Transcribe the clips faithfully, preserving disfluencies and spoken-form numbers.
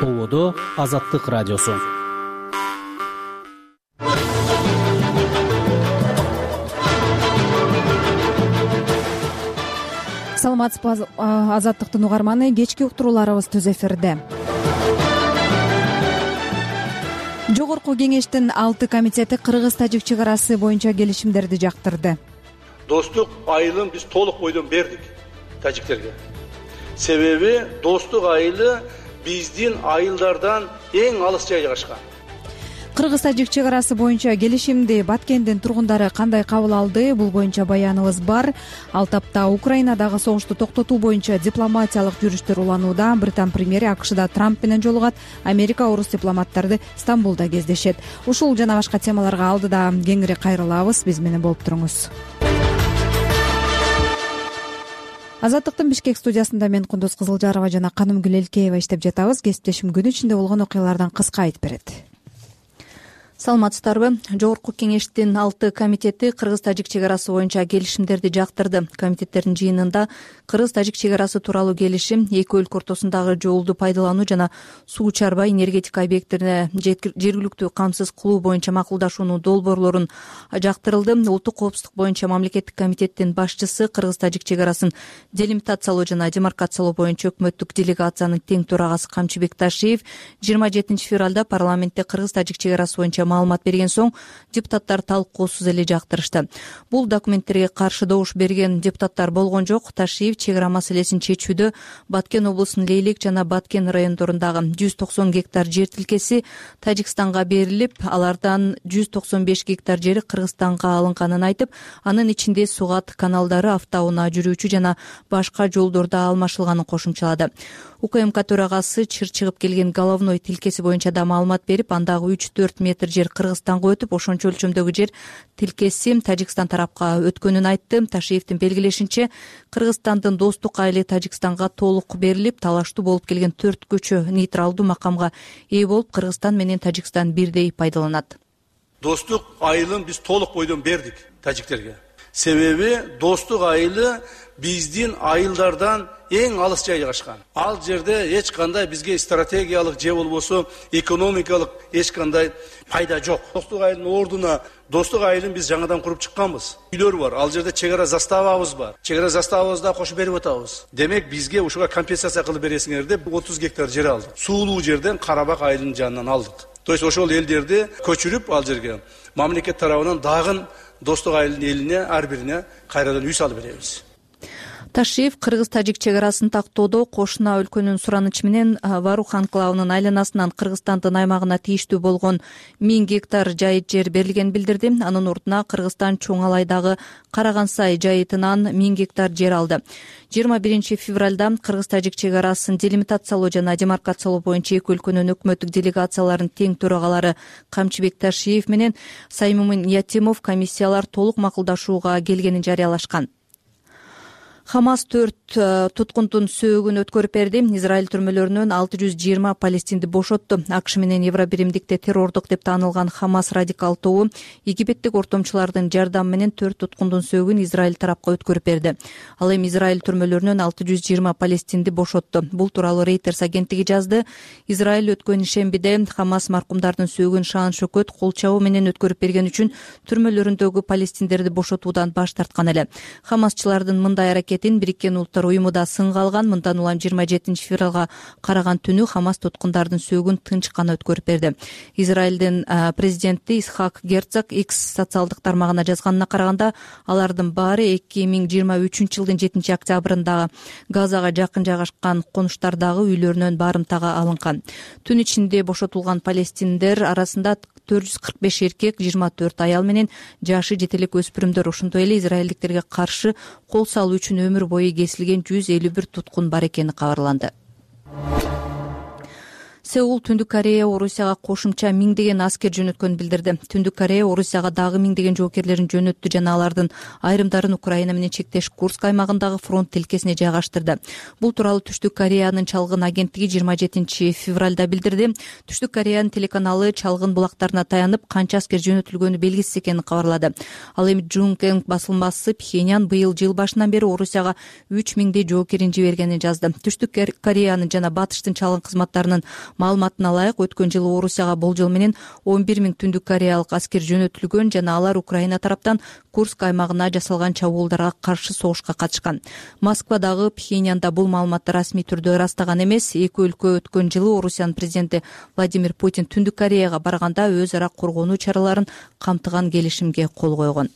Ободо Азаттык радиосу. Саламатсызбы, Азаттыктын угарманы, кечки уктурууларыбыз түз эфирде. Жогорку кеңештин алты комитети Кыргыз-Тажик чек арасы боюнча келишимдерди жактырды. Достук айылын биз толук бойдон бердик тажиктерге. Себеби достук айылы биздин айылдардан эң алыс жай жайгашкан. Кыргыз-Тажик чек арасы боюнча келишимди Баткендин тургундары кандай кабыл алды? Бул боюнча баяныбыз бар. Ал тапта Украинадагы согушту токтотуу боюнча дипломатиялык жүрүштөр уланууда. Британ премьери АКШда Трамп менен жолугат. Америка орус дипломаттарды Стамбулда кездешет. Ушул жана башка темаларга алдыда кеңири кайрылабыз. Биз менен болуп туруңуз. Азаттыктын Бишкек студиясында мен Кундуз Кызылжарова жана Канымгүл Элкеева иштеп жатабыз. Кесиптешим күн ичинде болгон окуялардан кыска айтып берет. Саламатсыздарбы? Жогорку кеңештин алты комитети Кыргыз-Тажик чек арасы боюнча келишимдерди жактырды. Комитеттердин жыйынында Кыргыз-Тажик чек арасы тууралуу келишим, эки өлкө ортосундагы жолду пайдалануу жана суу чарба энергетика объектилерине жергиликтүү камсыз кылуу боюнча макулдашуунун долбоорлорун жактырылды. Улуттук коопсуздук боюнча мамлекеттик комитеттин башчысы Кыргыз-Тажик чек арасын делимитациялоо жана демаркациялоо боюнча өкмөттүк делегациянын тең төрагасы Камчыбек Ташиев жыйырма жетинчи февралда парламентте Кыргыз-Тажик чек арасы боюнча маалымат берген соң депутаттар талкуусуз эле жактырышты. Бул документтерге каршы добуш берген депутаттар болгон жок. Ташиев чек ара маселесин чечүүдө Баткен облусунун Лейлек жана Баткен райондорундагы жүз токсон гектар жер тилкеси Тажикстанга берилип, алардан жүз токсон беш гектар жери Кыргызстанга алынганын айтып, анын ичинде сугат каналдары, автоунаа жүрүүчү жана башка жолдордо алмашылганын кошумчалады. УКМК төрагасы чыр чыгып келген головной тилкеси боюнча да маалымат берип, андагы үч төрт метр жер Кыргызстанга өтүп, ошончо өлчөмдөгү жер тилкеси Тажикстан тарапка өткөнүн айтты. Ташиевдин белгилешинче, Кыргызстандын достук айылы Тажикстанга толук берилип, талаштуу болуп келген төрт көчө нейтралдуу макамга ээ болуп, Кыргызстан менен Тажикстан бирдей пайдаланат. Достук айылын биз толук бойдон бердик тажиктерге. Себеби достук айылы биздин айылдардан эң алыс жай жайгашкан. Ал жерде эч кандай бизге стратегиялык же болбосо экономикалык эч кандай пайда жок. Достук айылдын ордуна достук айылын биз жаңадан куруп чыкканбыз. Үйлөр бар. Ал жерде чек ара заставабыз бар. Чек ара заставабызды да кошуп берип атабыз. Демек бизге ушуга компенсация кылып бересиңер деп отуз гектар жер алдык. Суулуу жерден Карабак айылынын жанынан алдык. То есть ошол элдерди көчүрүп ал жерге мамлекет тарабынан дагы достук айылдын элине ар бирине кайрадан үй салып беребиз. Ташиев Кыргыз-Тажик чек арасын тактоодо кошуна өлкөнүн суранычы менен Варух анклавынын айланасынан Кыргызстандын аймагына тийиштүү болгон миң гектар жайыт жер берилгенин билдирди. Анын ордуна Кыргызстан Чоң Алайдагы Карагансай жайытынан миң гектар жер алды. жыйырма биринчи февралда Кыргыз-Тажик чек арасын делимитациялоо жана демаркациялоо боюнча эки өлкөнүн өкмөттүк делегацияларынын тең төрагалары Камчыбек Ташиев менен Саймумин Ятимов комиссиялар толук макулдашууга келгенин жарыялашкан. Хамас төрт туткундун сөөгүн өткөрүп берди. Израиль түрмөлөрүнөн алты жүз жыйырма палестинди бошотту. АКШ менен Евробиримдикте террордук деп таанылган Хамас радикал тобу египеттик ортомчулардын жардамы менен төрт туткундун сөөгүн Израиль тарапка өткөрүп берди. Ал эми Израиль түрмөлөрүнөн алты жүз жыйырма палестинди бошотту. Бул тууралуу Reuters агенттиги жазды. Израиль өткөн ишембиде Хамас маркумдардын сөөгүн шаан шөкөт кол чабуу менен өткөрүп берген үчүн түрмөлөрүндөгү палестиндерди бошотуудан баш тарткан эле. Хамасчылардын мындай аракет Бириккен Улуттар уюму да сынга алган. Мындан улам жыйырма жетинчи февралга караган түнү Хамас туткундардын сөөгүн тынч гана өткөрүп берди. Израилдин президенти Исхак Герцог X социалдык тармагына жазганына караганда, алардын баары эки миң жыйырма үчүнчү жылдын жетинчи октябрындагы Газага жакын жайгашкан конуштардагы үйлөрүнөн барымтага алынган. Түн ичинде бошотулган палестиндер арасында төрт жүз кырк беш эркек, жыйырма төрт аял менен жашы жете элек өспүрүмдөр, ошондой эле израилдиктерге каршы кол салуу үчүн өмүр бою кесилген жүз элүү бир туткун бар экени кабарланды. Сеул Түндүк Корея Орусияга кошумча миңдеген аскер жөнөткөнүн билдирди. Түндүк Корея Орусияга дагы миңдеген жоокерлерин жөнөттү жана алардын айрымдарын Украина менен чектеш Курск аймагындагы фронт тилкесине жайгаштырды. Бул тууралуу Түштүк Кореянын чалгын агенттиги жыйырма жетинчи февралда билдирди. Түштүк Кореянын телеканалу чалгын булактарына таянып, канча аскер жөнөтүлгөнү белгисиз экенин кабарлады. Ал эми Жункэнг басылмасы Пхеньян быйыл жыл башынан бери Орусияга үч миңдей жоокерин жибергенин жазды. Түштүк Кореянын жана Батыштын чалгын кызматтарынын Маалыматына ылайык, өткөн жылы Орусияга болжол менен он бир миң Түндүк Кореялык аскер жөнөтүлгөн жана алар Украина тараптан Курск аймагына жасалган чабуулдарга каршы согушка катышкан. Москвадагы Пхеньянда бул маалыматты расмий түрдө ырастаган эмес. Эки өлкө өткөн жылы Орусиянын президенти Владимир Путин Түндүк Кореяга барганда өз ара коргонуу чараларын камтыган келишимге кол койгон.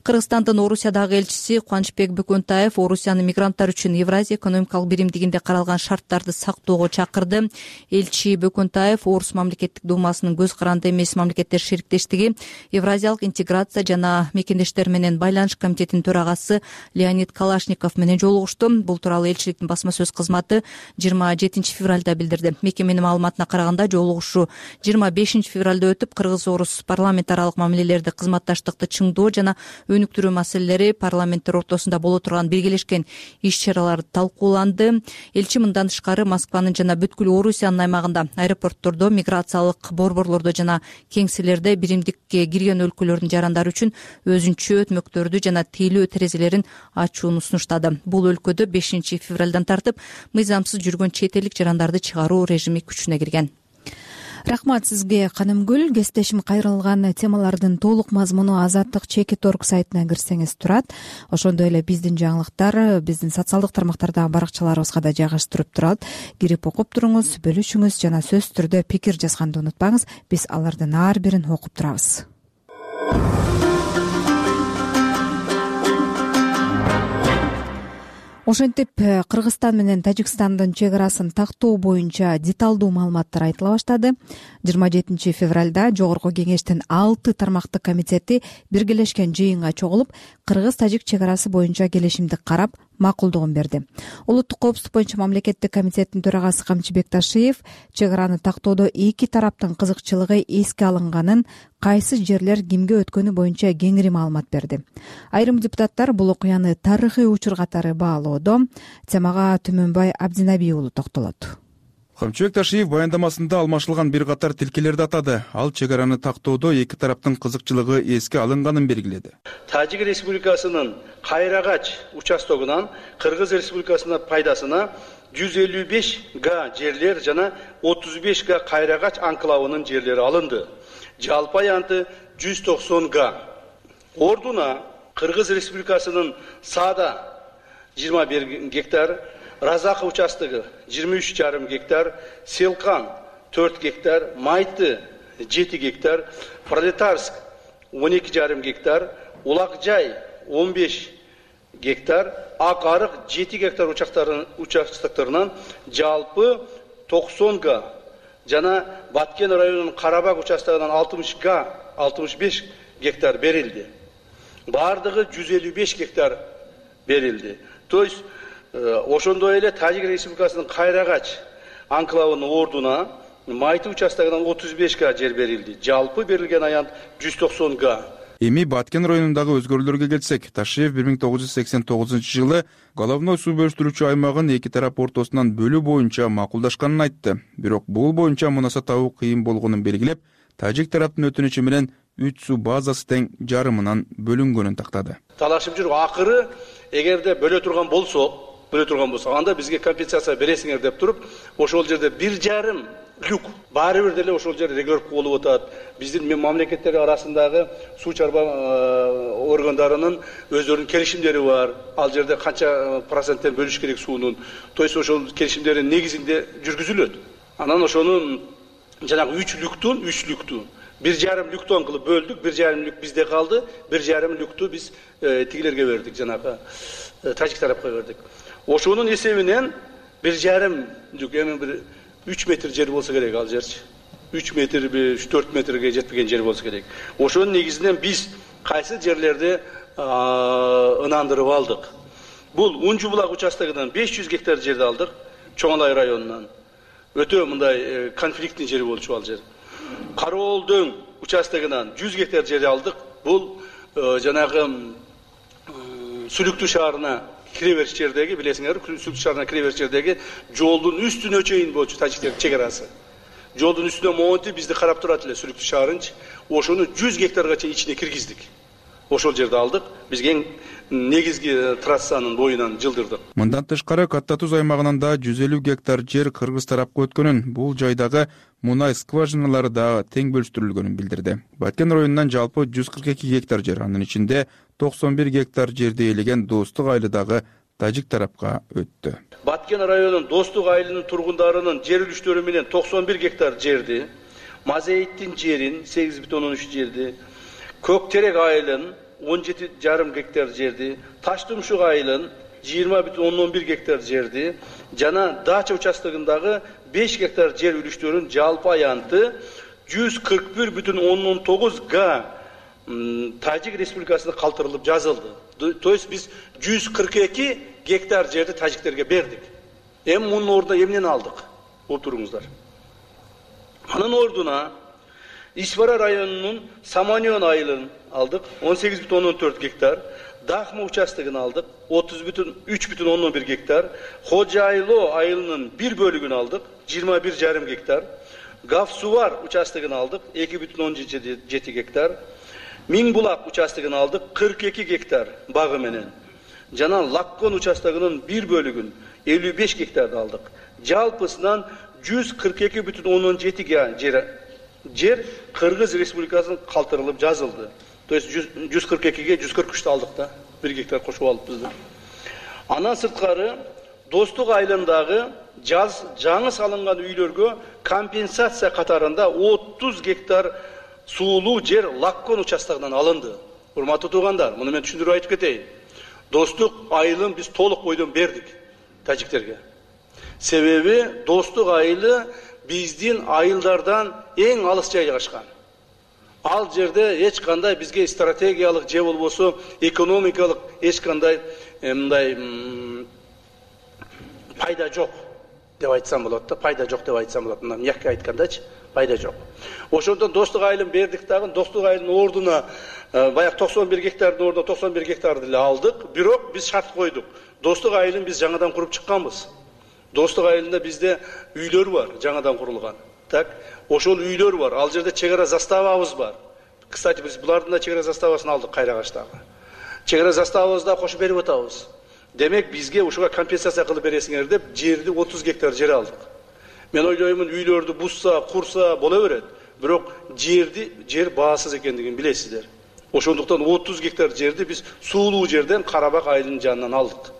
Кыргызстандын Орусиядагы элчиси Кубанычбек Бөкөнтаев Орусиянын мигранттар үчүн Евразия экономикалык биримдигинде каралган шарттарды сактоого чакырды. Элчи Бөкөнтаев Орус мамлекеттик думасынын көз каранды эмес мамлекеттер шериктештиги, Евразиялык интеграция жана мекендештер менен байланыш комитетинин төрагасы Леонид Калашников менен жолугушту. Бул тууралуу элчиликтин басма сөз кызматы жыйырма жетинчи февралда билдирди. Мекеменин маалыматына караганда, жолугушуу жыйырма бешинчи февралда өтүп, кыргыз-орус парламент аралык мамилелерди кызматташтыкты чыңдоо жана өнүктүрүү маселелери парламенттер ортосунда боло турган биргелешкен иш-чаралар талкууланды. Элчи мындан тышкары Москванын жана бүткүл Орусиянын аймагында аэропорттордо, миграциялык борборлордо жана кеңселерде биримдикке кирген өлкөлөрдүн жарандары үчүн өзүнчө өтмөктөрдү жана тейлөө терезелерин ачууну сунуштады. Бул өлкөдө бешинчи февралдан тартып мыйзамсыз жүргөн чет элдик жарандарды чыгаруу режими күчүнө кирген. Рахмат сизге, Канымгүл. Кесиптешим кайрылган темалардын толук мазмуну Азаттык чекит орг сайтына кирсеңиз турат. Ошондой эле биздин жаңылыктар биздин социалдык тармактардагы баракчаларыбызга да жайгаштырып турат. Кирип окуп туруңуз, бөлүшүңүз жана сөзсүз түрдө пикир жазганды унутпаңыз. Биз алардын ар бирин окуп турабыз. Ошентип, Кыргызстан менен Тажикстандын чек арасын тактоо боюнча деталдуу маалыматтар айтыла баштады. жыйырма жетинчи февралда Жогорку кеңештин алты тармактык комитети биргелешкен жыйынга чогулуп, Кыргыз-Тажик чек арасы боюнча келишимди карап, макулдугун берди. Улуттук коопсуздук боюнча мамлекеттик комитеттин төрагасы Камчы Бекташиев чек араны тактоодо эки тараптын кызыкчылыгы эске алынганын, кайсы жерлер кимге өткөнү боюнча кеңири маалымат берди. Айрым депутаттар бул окуяны тарыхый учур катары баалоодо. Темага Түмөнбай Абдинаби уулу токтолот. Камчы Бекташиев баяндамасында алмашылган бир катар тилкелерди атады. Ал чек араны тактоодо эки тараптын кызыкчылыгы эске алынганын белгиледи. Тажик Республикасынын Кайрагач участогунан Кыргыз Республикасынын пайдасына жүз элүү беш га жерлер жана отуз беш га Кайрагач анклавынын жерлери алынды. Жалпы аянты жүз токсон га. Ордуна Кыргыз Республикасынын Саада жыйырма бир гектар, Разака участогу жыйырма үч жарым гектар, Селкан төрт гектар, Майты жети гектар, Пролетарск он эки жарым гектар, Улакжай он беш гектар, Ак Арык жети гектар участоктарынан жалпы токсон га жана Баткен районунун Карабак участогунан алтымыш га, алтымыш беш гектар берилди. Бардыгы жүз элүү беш гектар берилди. То есть ошондой эле Тажик Республикасынын Кайрагач анклавынын ордуна Майты участогунан отуз беш га жер берилди. Жалпы берилген аянт жүз токсон га. Эми Баткен районундагы өзгөрүүлөргө келсек, Ташиев бир миң тогуз жүз сексен тогузунчу жылы головной суу бөлүштүрүүчү аймагын эки тарап ортосунан бөлүү боюнча макулдашканын айтты. Бирок бул боюнча мунаса табуу кыйын болгонун белгилеп, Тажик тараптын өтүнүчү менен үч суу базасы тең жарымынан бөлүнгөнүн тактады. Талашып жүрүп, акыры эгерде бөлө турган болсо, бөлө турган болсо, анда бизге компенсация бересиңер деп туруп, ошол жерде бир жарым люк баары бир деле ошол жер регулировка болуп атат. Биздин мамлекеттер арасындагы суу чарба органдарынын өздөрүнүн келишимдери бар. Ал жерде канча проценттен бөлүш керек суунун. То есть ошол келишимдердин негизинде жүргүзүлөт. Анан ошонун жанагы үч люктун, үч люктун бир жарым люктон кылып бөлдүк, бир жарым люк бизде калды, бир жарым люкту биз тигилерге бердик, жанагы Тажик тарапка бердик. Ошонун эсебинен бир жарым люк, эми бир үч метр жер болсо керек ал жерчи. үч метр, үч төрт метрге жетпеген жер болсо керек. Ошонун негизинен биз кайсы жерлерди ынандырып алдык. Бул Унжу булак участогунан беш жүз гектар жерди алдык, Чоңалай районунан. Өтө мындай конфликттин жери болчу ал жер. Кароол дөң участогунан жүз гектар жер алдык. Бул жанагы Сүлүктүү шаарына кире бериш жердеги, билесиңер, Сүлүктүү шаарына кире бериш жердеги жолдун үстүнө чейин болчу Тажиктер чек арасы. Жолдун үстүнө монтип бизди карап турат эле Сүлүктүү шаарынчы. Ошону жүз гектарга чейин ичине киргиздик. ошол жерди алдык. Бизге эң негизги трассанын боюнан жылдырдык. Мындан тышкары Катта Туз аймагынан да жүз элүү гектар жер кыргыз тарапка өткөнүн, бул жайдагы мунай скважиналары да тең бөлүштүрүлгөнүн билдирди. Баткен районунан жалпы жүз кырк эки гектар жер, анын ичинде токсон бир гектар жерди ээлеген Достук айылдагы тажик тарапка өттү. Баткен районунун Достук айылынын тургундарынын жер үлүштөрү менен токсон бир гектар жерди, Мазейиттин жерин сегиз бүтүн ондон үч жерди, Көктерек айылын он жети жарым гектар жерди, Таштумшук айылын жыйырма бүтүн ондон бир гектар жерди жана Дача участогундагы беш гектар жер үлүштөрүнүн жалпы аянты жүз кырк бир бүтүн ондон тогуз га Тажик Республикасына калтырылып жазылды. То есть биз жүз кырк эки гектар жерди тажиктерге бердик. Эми мунун ордуна эмнени алдык? Отуруңуздар. Анын ордуна Ишвара районунун Саманион айылын алдык, он сегиз бүтүн ондон төрт гектар, Дахма участогун алдык, отуз бүтүн үч бүтүн ондон бир гектар, Хожайло айылынын бир бөлүгүн алдык, жыйырма бир жарым гектар, Гавсувар участогун алдык, эки бүтүн ондон жети гектар, Миңбулак участогун алдык, кырк эки гектар багы менен. Жана Лаккон участогунун бир бөлүгүн элүү беш гектарды алдык. Жалпысынан жүз кырк эки бүтүн ондон жети жер жер Кыргыз Республикасына калтырылып жазылды. То есть жүз кырк экиге жүз кырк үчтү алдык да, бир гектар кошуп алыпбыз. Андан сырткары Достук айылындагы жаз жаңы салынган үйлөргө компенсация катарында отуз гектар суулуу жер Лаккон участогунан алынды. Урматтуу туугандар, муну мен түшүндүрүп айтып кетейин. Достук айылын биз толук бойдон бердик тажиктерге. Себеби Достук айылы биздин айылдардан эң алыс жайгашкан. Ал жерде эч кандай бизге стратегиялык же болбосо экономикалык эч кандай мындай пайда жок деп айтсам болот да, пайда жок деп айтсам болот. Мына мягко айткандачы, пайда жок. Ошондон Достук айылын бердик дагы, Достук айылынын ордуна баягы токсон бир гектардын ордуна токсон бир гектарды эле алдык, бирок биз шарт койдук. Достук айылын биз жаңадан куруп чыкканбыз. Достук айылында бизде үйлөр бар, жаңадан курулган. Так, ошол үйлөр бар. Ал жерде чек ара заставабыз бар. Кстати, биз булардын да чек ара заставасын алдык Кайрагачтагы. Чек ара заставабызды да кошуп берип атабыз. Демек бизге ушуга компенсация кылып бересиңер деп жерди отуз гектар жер алдык. Мен ойлоймун, үйлөрдү бузса, курса боло берет. Бирок жерди жер баасыз экендигин билесиздер. Ошондуктан отуз гектар жерди биз суулуу жерден Карабак айылынын жанынан алдык.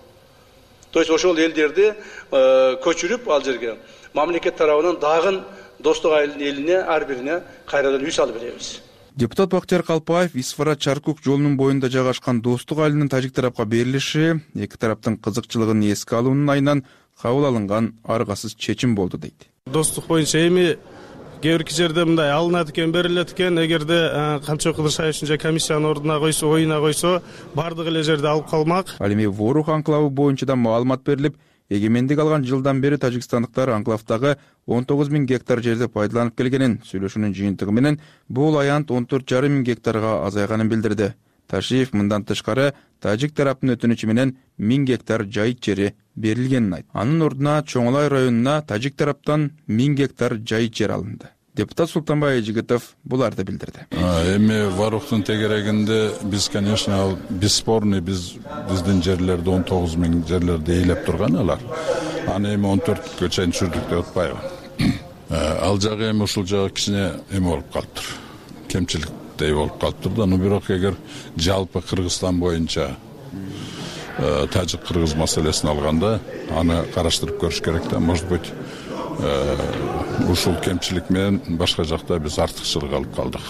То есть ошол элдерди көчүрүп ал жерге мамлекет тарабынан дагы Достук айылынын элине ар бирине кайрадан үй салып беребиз. Депутат Бактияр Калпаев Исфара Чаркук жолунун боюнда жайгашкан Достук айылынын тажик тарапка берилиши эки тараптын кызыкчылыгын эске алуунун айынан кабыл алынган аргасыз чечим болду дейт. Достук боюнча эми кээ бир жерде мындай алынат экен, берилет экен, эгерде Камчы Кыдыршаевичтин же комиссиянын ордуна койсо, оюна койсо, бардык эле жерди алып калмак. Ал эми Ворух анклавы боюнча да маалымат берилип, эгемендик алган жылдан бери тажикстандыктар анклавдагы он тогуз миң гектар жерди пайдаланып келгенин, сүйлөшүүнүн жыйынтыгы менен бул аянт он төрт жарым миң гектарга азайганын билдирди. Ташиев мындан тышкары тажик тараптын өтүнүчү менен миң гектар жайыт жери берилгенин айтты. Анын ордуна Чоңолай районуна тажик тараптан миң гектар жайыт жер алынды. Депутат Султанбай Эжигитов буларды билдирди. Эми Варухтун тегерегинде биз, конечно, бесспорный биз биздин жерлерди он тогуз миң жерлерди ээлеп турган алар. Аны эми он төрткө чейин түшүрдүк деп атпайбы. Ал жагы эми ушул жагы кичине эми болуп калыптыр. Кемчиликтей болуп калыптыр да. Но бирок эгер жалпы Кыргызстан боюнча тажик кыргыз маселесин алганда аны караштырып көрүш керек да. Может быть, ушул кемчилик менен башка жакта биз артыкчылык алып калдык.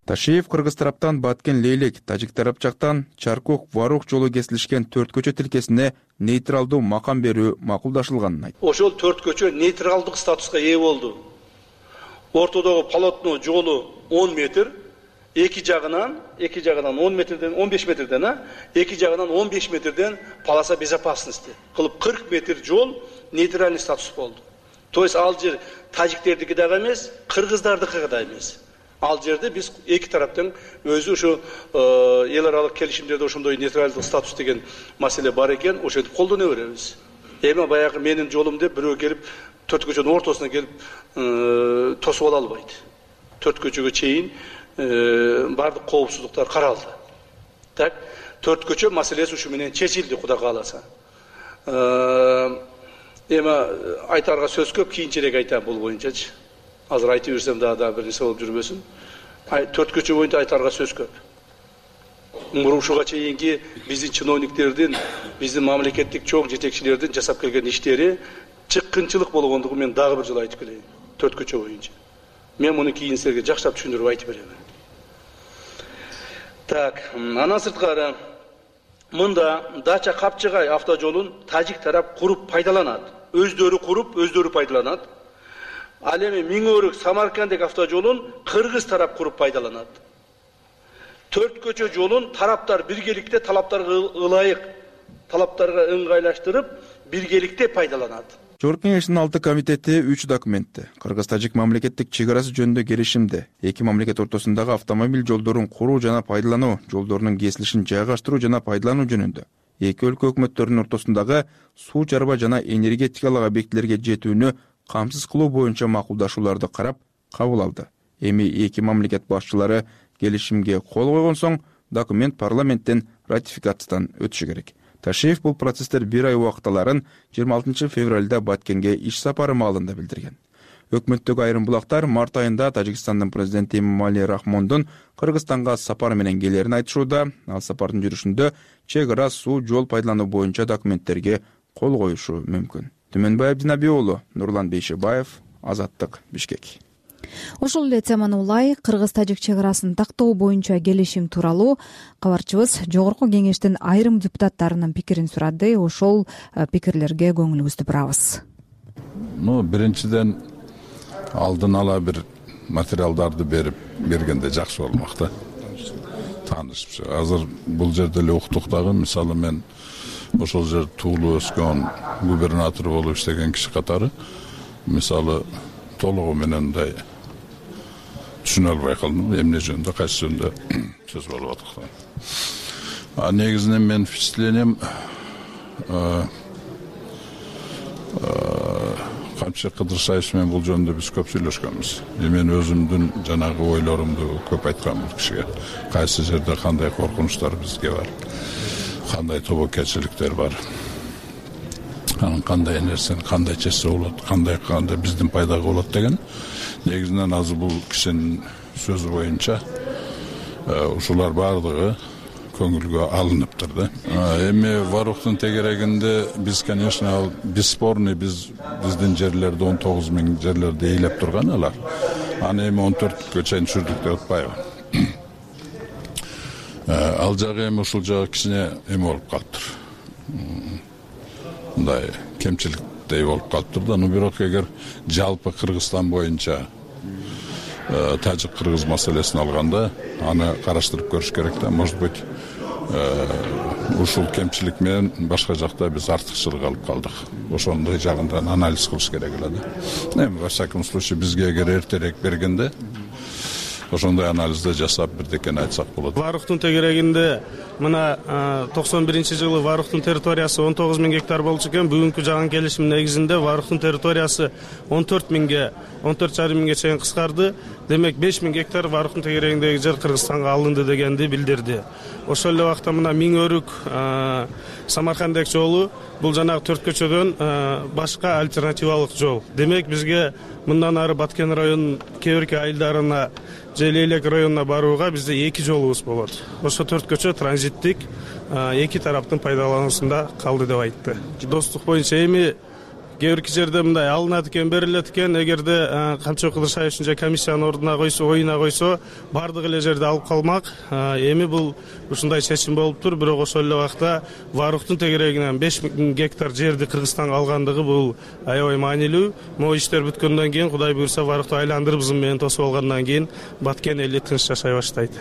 Ташиев Кыргыз тараптан Баткен Лейлек, тажик тарап жактан Чаркук Варух жолу кесилишкен төрт көчө тилкесине нейтралдуу макам берүү макулдашылганын айтты. Ошол төрт көчө нейтралдык статуска ээ болду. Ортодогу полотно жолу он метр, эки жагынан, эки жагынан он метрден, он беш метрден, а, эки жагынан он беш метрден полоса безопасности кылып кырк метр жол нейтральный статус болду. То есть ал жер тажиктердики дагы эмес, кыргыздардыкы да эмес. Ал жерде биз эки тараптын өзү ушу эл аралык келишимдерде ошондой нейтралдык статус деген маселе бар экен, ошентип колдоно беребиз. Эми баягы менин жолум деп бирөө келип төрт көчөнүн ортосуна келип тосуп ала албайт. Төрт көчөгө чейин бардык коопсуздуктар каралды. Так, төрт көчө маселеси ушу менен чечилди, Кудай кааласа. Эми айтарга сөз көп, кийинчерээк айтам бул боюнчачы. Азыр айтып берсем дагы да бир нерсе болуп жүрбөсүн. Төрт көчө боюнча айтарга сөз көп. Ушуга чейинки биздин чиновниктердин, биздин мамлекеттик чоң жетекчилердин жасап келген иштери чыккынчылык болгондугун мен дагы бир жолу айтып келейин. Төрт көчө боюнча. Мен муну кийин силерге жакшырап түшүндүрүп айтып берем. Так, андан сырткары мында Дача Капчыгай автожолун тажик тарап куруп пайдаланат. Өздөрү куруп, өздөрү пайдаланат. Ал эми Миң-Өрүк Самаркандек автожолун кыргыз тарап куруп пайдаланат. Төрт көчө жолун тараптар биргеликте талаптарга ылайык, талаптарга ыңгайлаштырып, биргеликте пайдаланат. Жогорку Кеңештин алты комитети үч документти, кыргыз-тажик мамлекеттик чек арасы жөнүндө келишимди, эки мамлекет ортосундагы автомобиль жолдорун куруу жана пайдалануу, жолдорунун кесилишин жайгаштыруу жана пайдалануу жөнүндө, эки өлкө өкмөттөрүнүн ортосундагы суу чарба жана энергетикалык объектилерге жетүүнү камсыз кылуу боюнча макулдашууларды карап кабыл алды. Эми эки мамлекет башчылары келишимге кол койгон соң документ парламенттен ратификациядан өтүшү керек. Ташиев бул процесстер бир ай убактыларын жыйырма алтынчы февралда Баткенге иш сапары маалында билдирген. Өкмөттөгү айрым булактар март айында Тажикстандын президенти Эмомали Рахмондун Кыргызстанга сапар менен келерин айтышууда. Ал сапардын жүрүшүндө чек ара, суу, жол пайдалануу боюнча документтерге кол коюшу мүмкүн. Түмөнбай Абдинабий уулу, Нурлан Бейшебаев, Азаттык, Бишкек. Ошол эле теманы улай кыргыз-тажик чек арасын тактоо боюнча келишим тууралуу кабарчыбыз Жогорку Кеңештин айрым депутаттарынын пикирин сурады. Ошол пикирлерге көңүлүбүздү бурабыз. Ну, биринчиден алдын ала бир материалдарды берип бергенде жакшы болмок да. Таанышып. Азыр бул жерде эле уктук дагы, мисалы мен ошол жер туулуп өскөн губернатор болуп иштеген киши катары, мисалы толугу менен мындай түшүнө албай калдым, эмне жөнүндө, кайсы жөнүндө сөз болуп атат. А негизинен мен впечатлением Камчы Кыдыршаевич менен бул жөнүндө биз көп сүйлөшкөнбүз. Мен өзүмдүн жанагы ойлорумду көп айткам бул кишиге. Кайсы жерде кандай коркунучтар бизге бар, кандай тобокелчиликтер бар, анан кандай нерсени кандай чечсе болот, кандай кандай биздин пайдага болот деген. Негизинен азыр бул кишинин сөзү боюнча ушулар баардыгы көңүлгө алыныптыр да. Эми Варухтун тегерегинде биз, конечно, бесспорный биз биздин жерлерди он тогуз миң жерлерди ээлеп турган алар. Аны эми он төрткө чейин түшүрдүк деп атпайбы. Ал жагы эми ушул жагы кичине эме болуп калыптыр. Мындай кемчиликтей болуп калыптыр да. Но бирок эгер жалпы Кыргызстан боюнча тажик-кыргыз маселесин алганда, аны караштырып көрүш керек да. Может быть, ушул кемчилик менен башка жакта биз артыкчылык алып калдык. Ошондой жагынан анализ кылыш керек эле да. Эми во всяком случае бизге эгер эртерээк бергенде ошондой анализди жасап бирдекени айтсак болот. Варухтун тегерегинде мына токсон биринчи жылы Варухтун территориясы он тогуз миң гектар болчу экен. Бүгүнкү жаган келишим негизинде Варухтун территориясы он төрт миңге, он төрт жарым миңге чейин кыскарды. Демек беш миң гектар Варухтун тегерегиндеги жер Кыргызстанга алынды дегенди билдирди. Ошол эле убакта мына Миң-Өрүк Самаркандек жолу бул жанагы төрт көчөдөн башка альтернативалык жол. Демек бизге мындан ары Баткен районунун кээ бирки айылдарына же Лейлек районуна барууга бизде эки жолубуз болот. Ошо төрт көчө транзиттик эки тараптын пайдалануусунда калды деп айтты. Достук боюнча эми кээ бирки жерде мындай алынат экен, берилет экен. Эгерде Камчы Кыдыршаевич же комиссиянын ордуна койсо, оюна койсо, бардык эле жерде алып калмак. Эми бул ушундай чечим болуптур. Бирок ошол эле убакта Варухтун тегерегинен беш миң гектар жерди Кыргызстанга алгандыгы бул аябай маанилүү. Могу иштер бүткөндөн кийин, Кудай буйрса, Варухту айландырып зым менен тосуп алгандан кийин Баткен эли тынч жашай баштайт.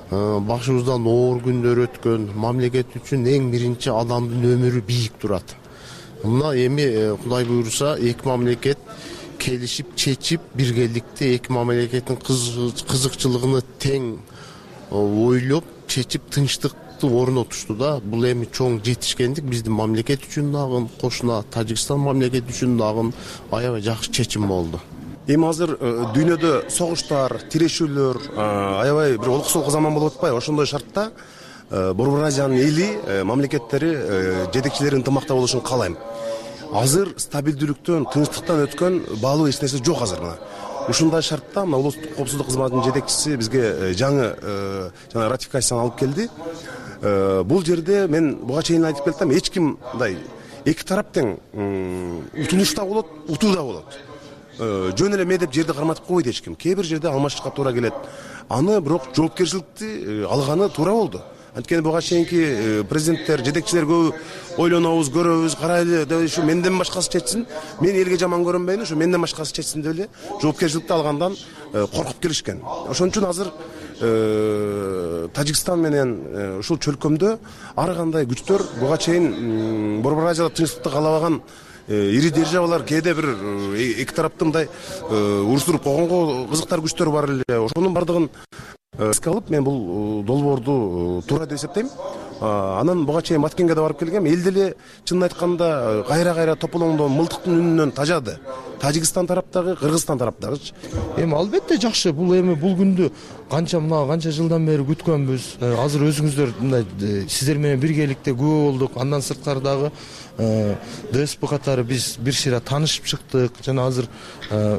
Башыбыздан оор күндөр өткөн, мамлекет үчүн эң биринчи адамдын өмүрү бийик турат. Мына эми Кудай буйрса эки мамлекет келишип, чечип, биргеликте эки мамлекеттин кызыкчылыгын тең ойлоп, чечип, тынчтыкты орнотушту да. Бул эми чоң жетишкендик биздин мамлекет үчүн дагы, кошуна Тажикстан мамлекети үчүн дагы аябай жакшы чечим болду. Эми азыр дүйнөдө согуштар, тирешүүлөр, аябай бир олкусолку заман болуп атпайбы? Ошондой шартта Борбор Азиянын эли мамлекеттери жетекчилери ынтымакта болушун каалайм. Азыр стабилдүүлүктөн, тынчтыктан өткөн баалуу эч нерсе жок азыр. Ушундай шартта мына улуттук коопсуздук кызматынын жетекчиси бизге жаңы жана ратификацияны алып келди. Бул жерде мен буга чейин айтып келдим, эч ким мындай эки тарап тең утулуш да болот, утуу да болот. Жөн эле ме деп жерди карматып койбойт эч ким. Кээ бир жерде алмашышка туура келет. Аны бирок жоопкерчиликти алганы туура болду. Анткени буга чейинки президенттер, жетекчилер көбү ойлонобуз, көрөбүз, карайлы деп ушу менден башкасы чечсин, мен элге жаман көрүнбөйүн, ушу менден башкасы чечсин деп эле жоопкерчиликти алгандан коркуп келишкен. Ошон үчүн азыр Тажикстан менен ушул чөлкөмдө ар кандай күчтөр буга чейин Борбор Азияда тынчтыкты каалабаган ири державалар, кээде бир эки тарапты мындай уруштуруп койгонго кызыктар күчтөр бар эле. Ошонун бардыгын эске алып, мен бул долбоорду туура деп эсептейм. Анан буга чейин Маткенге да барып келгем. Эл деле чынын айтканда кайра-кайра тополоңдон, мылтыктын үнүнөн тажады. Тажикстан тараптагы, Кыргызстан тараптагычы. Эми албетте жакшы. Бул эми бул күндү канча мына канча жылдан бери күткөнбүз. Азыр өзүңүздөр мындай сиздер менен биргеликте күбө болдук. Андан сырткары дагы ДСП катары биз бир сыйра таанышып чыктык. Жана азыр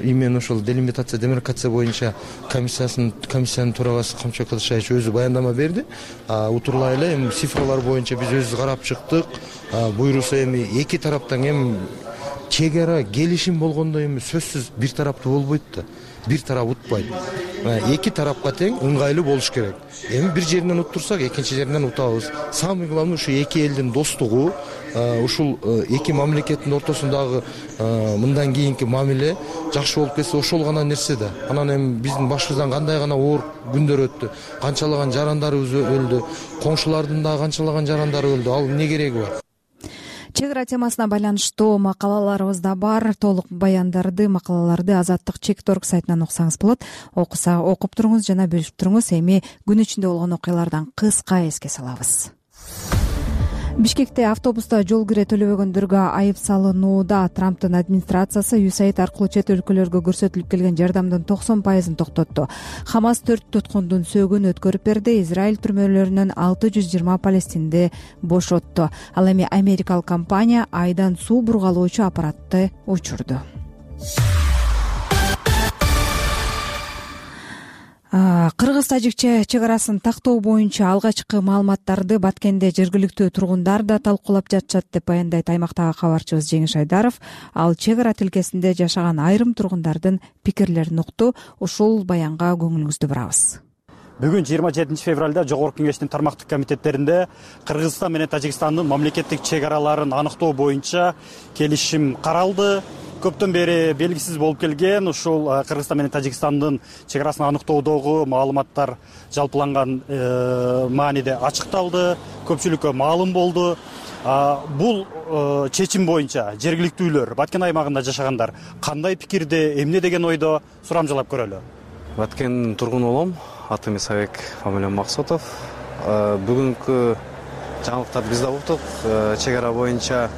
именно ошол делимитация, демаркация боюнча комиссиясынын комиссиянын төрагасы Камчок Кадышевич өзү баяндама берди. Утурлай эле эми цифралар боюнча биз өзүбүз карап чыктык. Буйруса эми эки тараптан эми чек ара келишим болгондо эми сөзсүз бир тараптуу болбойт да. Бир тарап утпайт. Эки тарапка тең ыңгайлуу болуш керек. Эми бир жеринен уттурсак, экинчи жеринен утабыз. Самый главный ушу эки элдин достугу, ушул эки мамлекеттин ортосундагы мындан кийинки мамиле жакшы болуп кетсе, ошол гана нерсе да. Анан эми биздин башыбыздан кандай гана оор күндөр өттү. Канчалаган жарандарыбыз өлдү, коңшулардын дагы канчалаган жарандары өлдү. Ал эмне кереги бар? Чек ара темасына байланыштуу макалаларыбыз да бар. Толук баяндарды, макалаларды Азаттык чек точка орг сайтынан окусаңыз болот. Окуса окуп туруңуз жана бөлүшүп туруңуз. Эми күн ичинде болгон окуялардан кыска эске салабыз. Бишкекте автобуста жол кире төлөбөгөндөргө айып салынууда. Трамптын администрациясы ю эс эй ай ди аркылуу чет өлкөлөргө көрсөтүлүп келген жардамдын токсон пайызын токтотту. Хамас төрт туткундун сөөгүн өткөрүп берди. Израиль түрмөлөрүнөн алты жүз жыйырма палестинди бошотту. Ал эми америкалык компания айдан суу бургалоочу аппаратты учурду. Кыргыз-тажик чек арасын тактоо боюнча алгачкы маалыматтарды Баткенде жергиликтүү тургундар да талкуулап жатышат деп баяндайт аймактагы кабарчыбыз Жеңиш Айдаров. Ал чек ара тилкесинде жашаган айрым тургундардын пикирлерин укту. Ушул баянга көңүлүңүздү бурабыз. Бүгүн жыйырма жетинчи февралда Жогорку Кеңештин тармактык комитеттеринде Кыргызстан менен Тажикстандын мамлекеттик чек араларын аныктоо боюнча келишим каралды. Көптөн бери белгисиз болуп келген ушул Кыргызстан менен Тажикстандын чек арасын аныктоодогу маалыматтар жалпыланган мааниде ачыкталды, көпчүлүккө маалым болду. Бул чечим боюнча жергиликтүүлөр, Баткен аймагында жашагандар кандай пикирде, эмне деген ойдо, сурамжылап көрөлү. Баткендин тургуну болом, атым Исабек, фамилиям Максутов. Бүгүнкү жаңылыктарды биз да уктук. Чек ара боюнча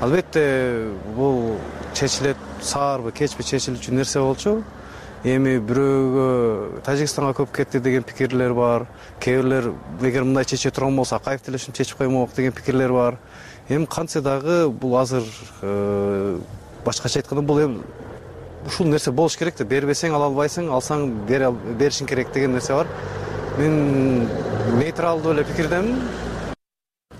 албетте бул чечилет, саарбы, кечпи чечилүүчү нерсе болчу. Эми бирөөгө Тажикстанга көп кетти деген пикирлер бар. Кээ бирлер эгер мындай чече турган болсо Акаев деле ушуну чечип коймок деген пикирлер бар. Эми кантсе дагы бул азыр башкача айтканда бул эми ушул нерсе болуш керек да. Бербесең ала албайсың, алсаң беришиң керек деген нерсе бар. Мен нейтралдуу эле пикирдемин.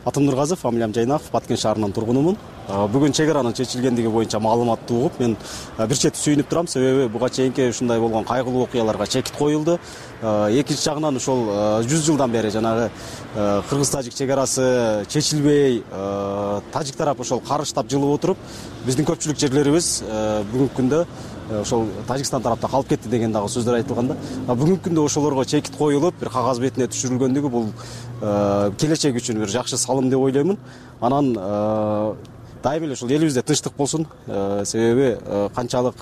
Атым Нургазов, фамилиям Жайнаков, Баткен шаарынын тургунумун. Бүгүн чек аранын чечилгендиги боюнча маалыматты угуп, мен бир чети сүйүнүп турам. Себеби буга чейинки ушундай болгон кайгылуу окуяларга чекит коюлду. Экинчи жагынан ошол жүз жылдан бери жанагы кыргыз-тажик чек арасы чечилбей, тажик тарап ошол карыштап жылып отуруп, биздин көпчүлүк жерлерибиз бүгүнкү күндө ошол Тажикстан тарапта калып кетти деген дагы сөздөр айтылганда, бүгүнкү күндө ошолорго чекит коюлуп, бир кагаз бетине түшүрүлгөндүгү бул келечек үчүн бир жакшы салым деп ойлоймун. Анан дайым эле ушул элибизде тынчтык болсун, себеби канчалык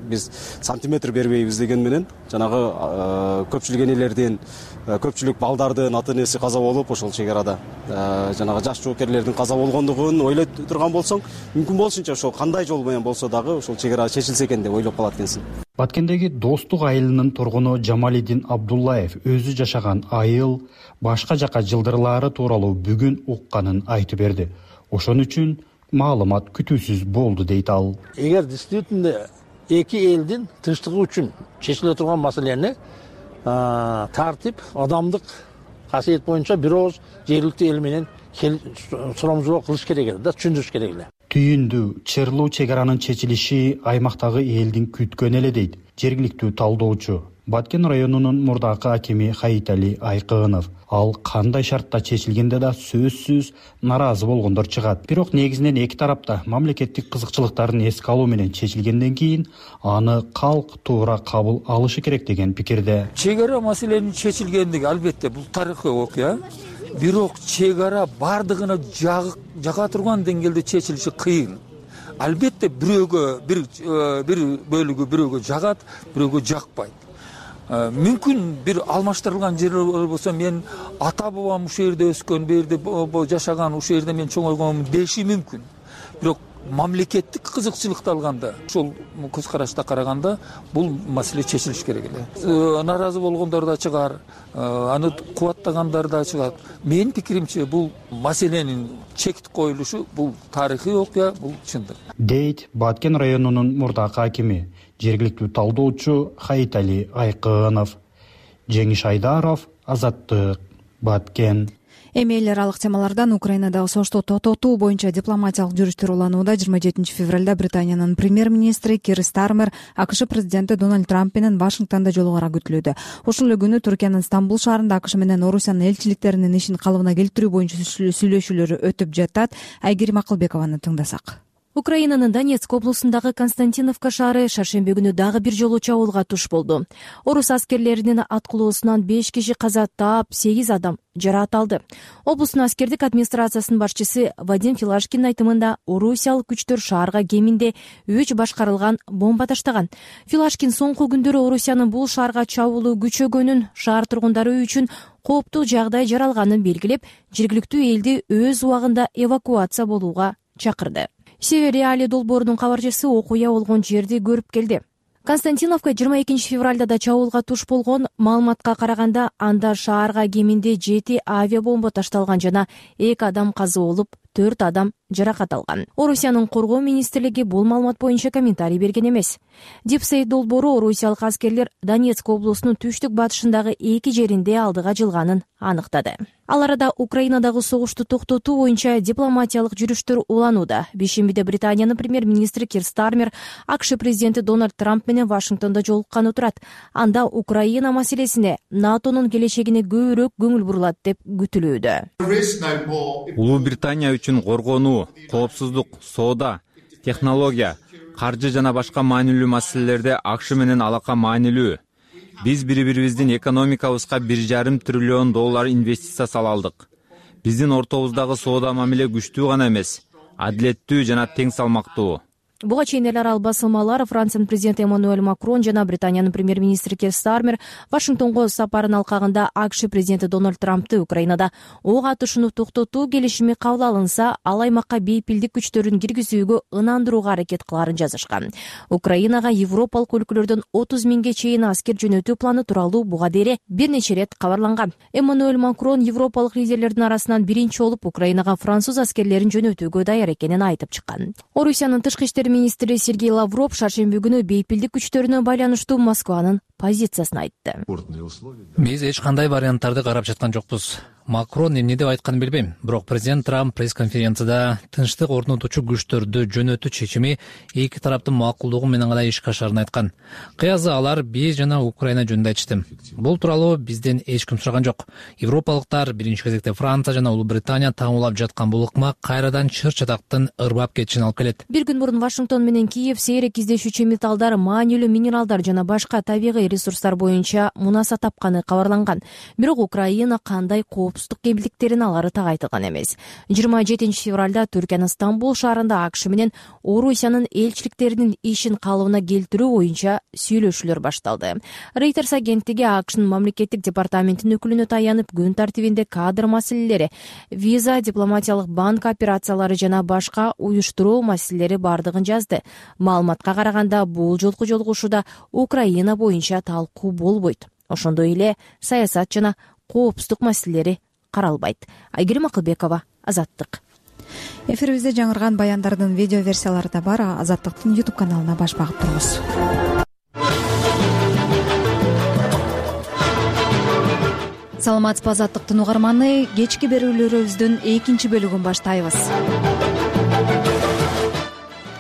биз сантиметр бербейбиз деген менен жанагы көпчүлүк энелердин, көпчүлүк балдардын ата энеси каза болуп, ошол чек арада жанагы жаш жоокерлердин каза болгондугун ойлой турган болсоң, мүмкүн болушунча ошол кандай жол менен болсо дагы ошол чек ара чечилсе экен деп ойлоп калат экенсиң. Баткендеги Достук айылынын тургуну Жамалидин Абдуллаев өзү жашаган айыл башка жака жылдырлаары тууралуу бүгүн укканын айтып берди. Ошон үчүн маалымат күтүүсүз болду дейт ал. Эгер действительно эки элдин тынчтыгы үчүн чечиле турган маселени тартип, адамдык касиет боюнча бир ооз жергиликтүү эл менен сурамжылоо кылыш керек эле да, түшүндүрүш керек эле. Түйүндү чырлуу чек аранын чечилиши аймактагы элдин күткөнү эле дейт жергиликтүү талдоочу. Баткен районунун мурдакы акими Хаитали Айкынов. Ал кандай шартта чечилгенде да сөзсүз наразы болгондор чыгат. Бирок негизинен эки тарапта мамлекеттик кызыкчылыктарын эске алуу менен чечилгенден кийин аны калк туура кабыл алышы керек деген пикирде. Чек ара маселенин чечилгендиги албетте бул тарыхый окуя. Бирок чек ара бардыгына жака турган деңгээлде чечилиши кыйын. Албетте бирөөгө бир бир бөлүгү бирөөгө жагат, бирөөгө жакпайт. Мүмкүн бир алмаштырылган жерлер болсо, мен ата бабам ушул жерде өскөн, бу жерде жашаган, ушул жерде мен чоңойгонмун деши мүмкүн. Бирок мамлекеттик кызыкчылыкты алганда, ошол көз карашта караганда бул маселе чечилиш керек эле. Наразы болгондор да чыгар, аны кубаттагандар да чыгат. Менин пикиримче бул маселенин чек коюлушу бул тарыхый окуя, бул чындык. Дейт Баткен районунун мурдакы акими, жергиликтүү талдоочу Хаитали Айкынов. Жеңиш Айдаров, Азаттык, Баткен. Эми эл аралык темалардан Украинадагы согушту токтотуу боюнча дипломатиялык жүрүштөр уланууда. жыйырма жетинчи февралда Британиянын премьер-министри Кир Стармер АКШ президенти Дональд Трамп менен Вашингтондо жолугара күтүлүүдө. Ошол эле күнү Түркиянын Стамбул шаарында АКШ менен Орусиянын элчиликтеринин ишин калыбына келтирүү боюнча сүйлөшүүлөрү өтүп жатат. Айгерим Акылбекованы тыңдасак. Украинанын Донецк облусундагы Константиновка шаары шаршемби күнү дагы бир жолу чабуулга туш болду. Орус аскерлеринин аткылоосунан беш киши каза таап, сегиз адам жараат алды. Облустун аскердик администрациясынын башчысы Вадим Филашкиндин айтымында орусиялык күчтөр шаарга кеминде үч башкарылган бомба таштаган. Филашкин соңку күндөрү Орусиянын бул шаарга чабуулу күчөгөнүн, шаар тургундары үчүн кооптуу жагдай жаралганын белгилеп, жергиликтүү элди өз убагында эвакуация болууга чакырды. Север Реали долбоорунун кабарчысы окуя болгон жерди көрүп келди. Константиновка жыйырма экинчи февралда да чабуулга туш болгон. Маалыматка караганда, анда шаарга кеминде жети авиабомба ташталган жана эки адам каза болуп, төрт адам жаракат алган. Орусиянын коргоо министрлиги бул маалымат боюнча комментарий берген эмес. Дипсейт долбоору орусиялык аскерлер Донецк облусунун түштүк батышындагы эки жеринде алдыга жылганын аныктады. Ал арада Украинадагы согушту токтотуу боюнча дипломатиялык жүрүштөр уланууда. Бейшембиде Британиянын премьер-министри Кир Стармер АКШ президенти Дональд Трамп менен Вашингтондо жолукканы турат. Анда Украина маселесине, НАТОнун келечегине көбүрөөк көңүл бурулат деп күтүлүүдө. Улуу Британия үчүн коргонуу, коопсуздук, соода, технология, каржы жана башка маанилүү маселелерде АКШ менен алака маанилүү. Биз бири-бирибиздин экономикабызга бир жарым триллион доллар инвестиция сала алдык. Биздин ортобуздагы соода мамиле күчтүү гана эмес, адилеттүү жана тең салмактуу. Буга чейин эл аралык басылмалар Франциянын президенти Эммануэль Макрон жана Британиянын премьер-министри Кир Стармер Вашингтонго сапарын алкагында АКШ президенти Дональд Трампты Украинада ок атышууну токтотуу келишими кабыл алынса, ал аймакка бейпилдик күчтөрүн киргизүүгө ынандырууга аракет кыларын жазышкан. Украинага европалык өлкөлөрдөн отуз миңге чейин аскер жөнөтүү планы тууралуу буга дейре бир нече ирет кабарланган. Эммануэль Макрон европалык лидерлердин арасынан биринчи болуп Украинага француз аскерлерин жөнөтүүгө даяр экенин айтып чыккан. Орусиянын тышкы иштер министри Сергей Лавров шаршемби күнү бейпилдик күчтөрүнө байланыштуу Москванын позициясын айтты. Биз эч кандай варианттарды карап жаткан жокпуз. Макрон эмне деп айтканын билбейм, бирок президент Трамп пресс-конференцияда тынчтык орнотуучу күчтөрдү жөнөтүү чечими эки тараптын макулдугу менен гана ишке ашарын айткан. Кыязы алар биз жана Украина жөнүндө айтышты. Бул тууралуу бизден эч ким сураган жок. Европалыктар, биринчи кезекте Франция жана Улуу Британия таңуулап жаткан бул ыкма кайрадан чыр-чатактын ырбап кетишин алып келет. Бир күн мурун Вашингтон менен Киев сейрек издешүүчү металлдар, маанилүү минералдар жана башка табигый ресурстар боюнча мунаса тапканы кабарланган. Бирок Украина кандай коопсуздук кемтиликтерин алары так айтылган эмес. жыйырма жетинчи февралда Түркиянын Стамбул шаарында АКШ менен Орусиянын элчиликтеринин ишин калыбына келтирүү боюнча сүйлөшүүлөр башталды. Reuters агенттиги АКШнын мамлекеттик департаментинин өкүлүнө таянып, күн тартибинде кадр маселелери, виза, дипломатиялык банк операциялары жана башка уюштуруу маселелери бардыгын жазды. Маалыматка караганда, бул жолку жолугушууда Украина боюнча талкуу болбойт. Ошондой эле саясат жана коопсуздук маселелери каралбайт. Айгерим Акылбекова, Азаттык. Эфирибизде жаңырган баяндардын видео версиялары да бар. Азаттыктын YouTube каналына баш багып туруңуз. Саламатсызбы, Азаттыктын угарманы. Кечки берүүлөрүбүздүн экинчи бөлүгүн баштайбыз.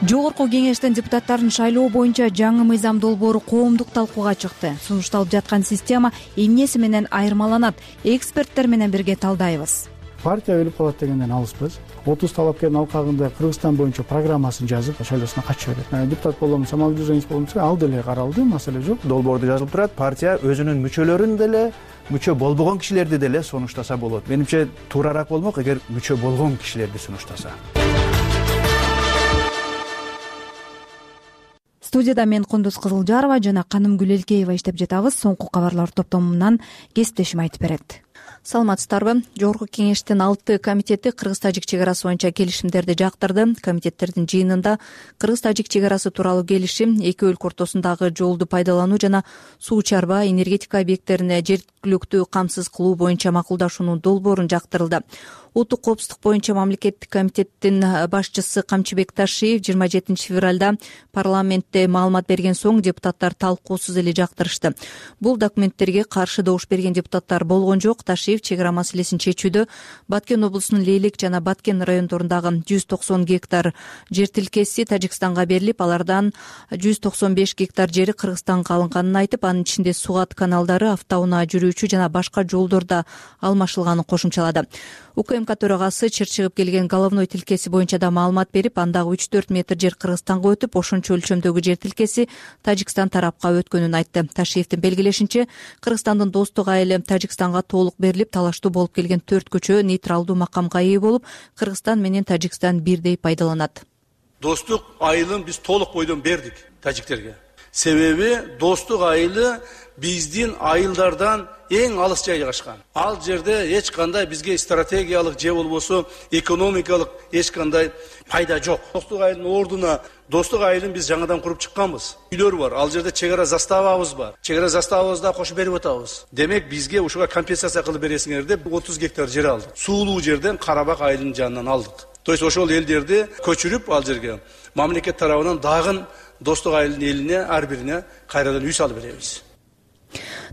Жогорку кеңештин депутаттарын шайлоо боюнча жаңы мыйзам долбоору коомдук талкууга чыкты. Сунушталып жаткан система эмнеси менен айырмаланат? Эксперттер менен бирге талдайбыз. Партия өлүп калат дегенден алыспыз. отуз талапкердин алкагында Кыргызстан боюнча программасын жазып, шайлоосуна катыша берет. Депутат болом, самалдуу жыйынтык болмосо, ал деле каралды, маселе жок. Долбоордо жазылып турат, партия өзүнүн мүчөлөрүн деле, мүчө болбогон кишилерди деле сунуштаса болот. Менимче туурараак болмок эгер мүчө болгон кишилерди сунуштаса. Студияда мен Кундуз Кызылжарова жана Канымгүл Элкеева иштеп жатабыз. Соңку кабарлар топтомунан кесиптешим айтып берет. Саламатсыздарбы? Жогорку кеңештин алты комитети кыргыз-тажик чек арасы боюнча келишимдерди жактырды. Комитеттердин жыйынында кыргыз-тажик чек арасы тууралуу келишим, эки өлкө ортосундагы жолду пайдалануу жана суу чарба, энергетика объекттерине жергиликтүү камсыз кылуу боюнча макулдашуунун долбоорун жактырылды. Улуттук коопсуздук боюнча мамлекеттик комитеттин башчысы Камчыбек Ташиев жыйырма жетинчи февралда парламентте маалымат берген соң депутаттар талкуусуз эле жактырышты. Бул документтерге каршы добуш берген депутаттар болгон жок. Ташиев чек ара маселесин чечүүдө Баткен облусунун Лейлек жана Баткен райондорундагы жүз токсон гектар жер тилкеси Тажикстанга берилип, алардан жүз токсон беш гектар жери Кыргызстанга алынганын айтып, анын ичинде Сугат каналдары, автоунаа жүрүүчү жана башка жолдорда алмашылганын кошумчалады. УКМК төрагасы чыр чыгып келген головной тилкеси боюнча да маалымат берип, андагы үч төрт метр жер Кыргызстанга өтүп, ошончо өлчөмдөгү жер тилкеси Тажикстан тарапка өткөнүн айтты. Ташиевдин белгилешинче, Кыргызстандын достук айылы Тажикстанга толук берилип, талаштуу болуп келген төрт көчө нейтралдуу макамга ээ болуп, Кыргызстан менен Тажикстан бирдей пайдаланат. Достук айылын биз толук бойдон бердик тажиктерге. Себеби достук айылы биздин айылдардан эң алыс жай жайгашкан. Ал жерде эч кандай бизге стратегиялык же болбосо экономикалык эч кандай пайда жок. Достук айылдын ордуна достук айылын биз жаңадан куруп чыкканбыз. Үйлөр бар. Ал жерде чек ара заставабыз бар. Чек ара заставабызды кошуп берип атабыз. Демек бизге ушуга компенсация кылып бересиңер деп отуз гектар жер алдык. Суулуу жерден Карабак айылынын жанынан алдык. То есть ошол элдерди көчүрүп ал жерге мамлекет тарабынан дагы достук айылдын элине ар бирине кайрадан үй салып беребиз.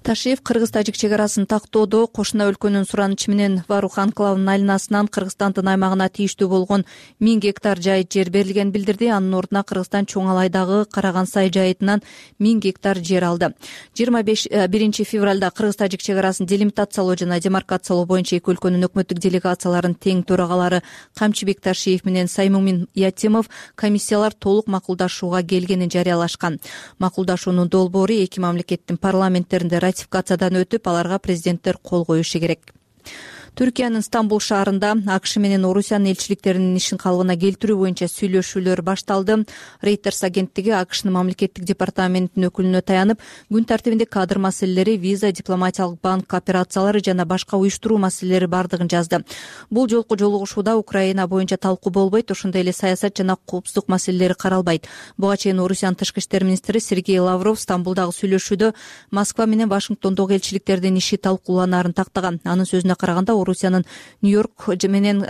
Ташиев кыргыз-тажик чек арасын тактоодо кошуна өлкөнүн суранычы менен Варух анклавынын айланасынан Кыргызстандын аймагына тийиштүү болгон миң гектар жайыт жер берилгенин билдирди. Анын ордуна Кыргызстан Чоң Алайдагы Караган Сай жайытынан миң гектар жер алды. жыйырма биринчи февралда кыргыз-тажик чек арасын делимитациялоо жана демаркациялоо боюнча эки өлкөнүн өкмөттүк делегацияларынын тең төрагалары Камчыбек Ташиев менен Саймумин Ятимов комиссиялар толук макулдашууга келгенин жарыялашкан. Макулдашуунун долбоору эки мамлекеттин парламенттеринде ратификациядан өтүп, аларга президенттер кол коюшу керек. Түркиянын Стамбул шаарында АКШ менен Орусиянын элчиликтеринин ишин калыбына келтирүү боюнча сүйлөшүүлөр башталды. Reuters агенттиги АКШнын мамлекеттик департаментинин өкүлүнө таянып, күн тартибинде кадр маселелери, виза, дипломатиялык банк операциялары жана башка уюштуруу маселелери бардыгын жазды. Бул жолку жолугушууда Украина боюнча талкуу болбойт, ошондой эле саясат жана коопсуздук маселелери каралбайт. Буга чейин Орусиянын тышкы иштер министри Сергей Лавров Стамбулдагы сүйлөшүүдө Москва менен Вашингтондогу элчиликтердин иши талкууланаарын тактаган. Анын сөзүнө караганда, Орусиянын Нью-Йорк менен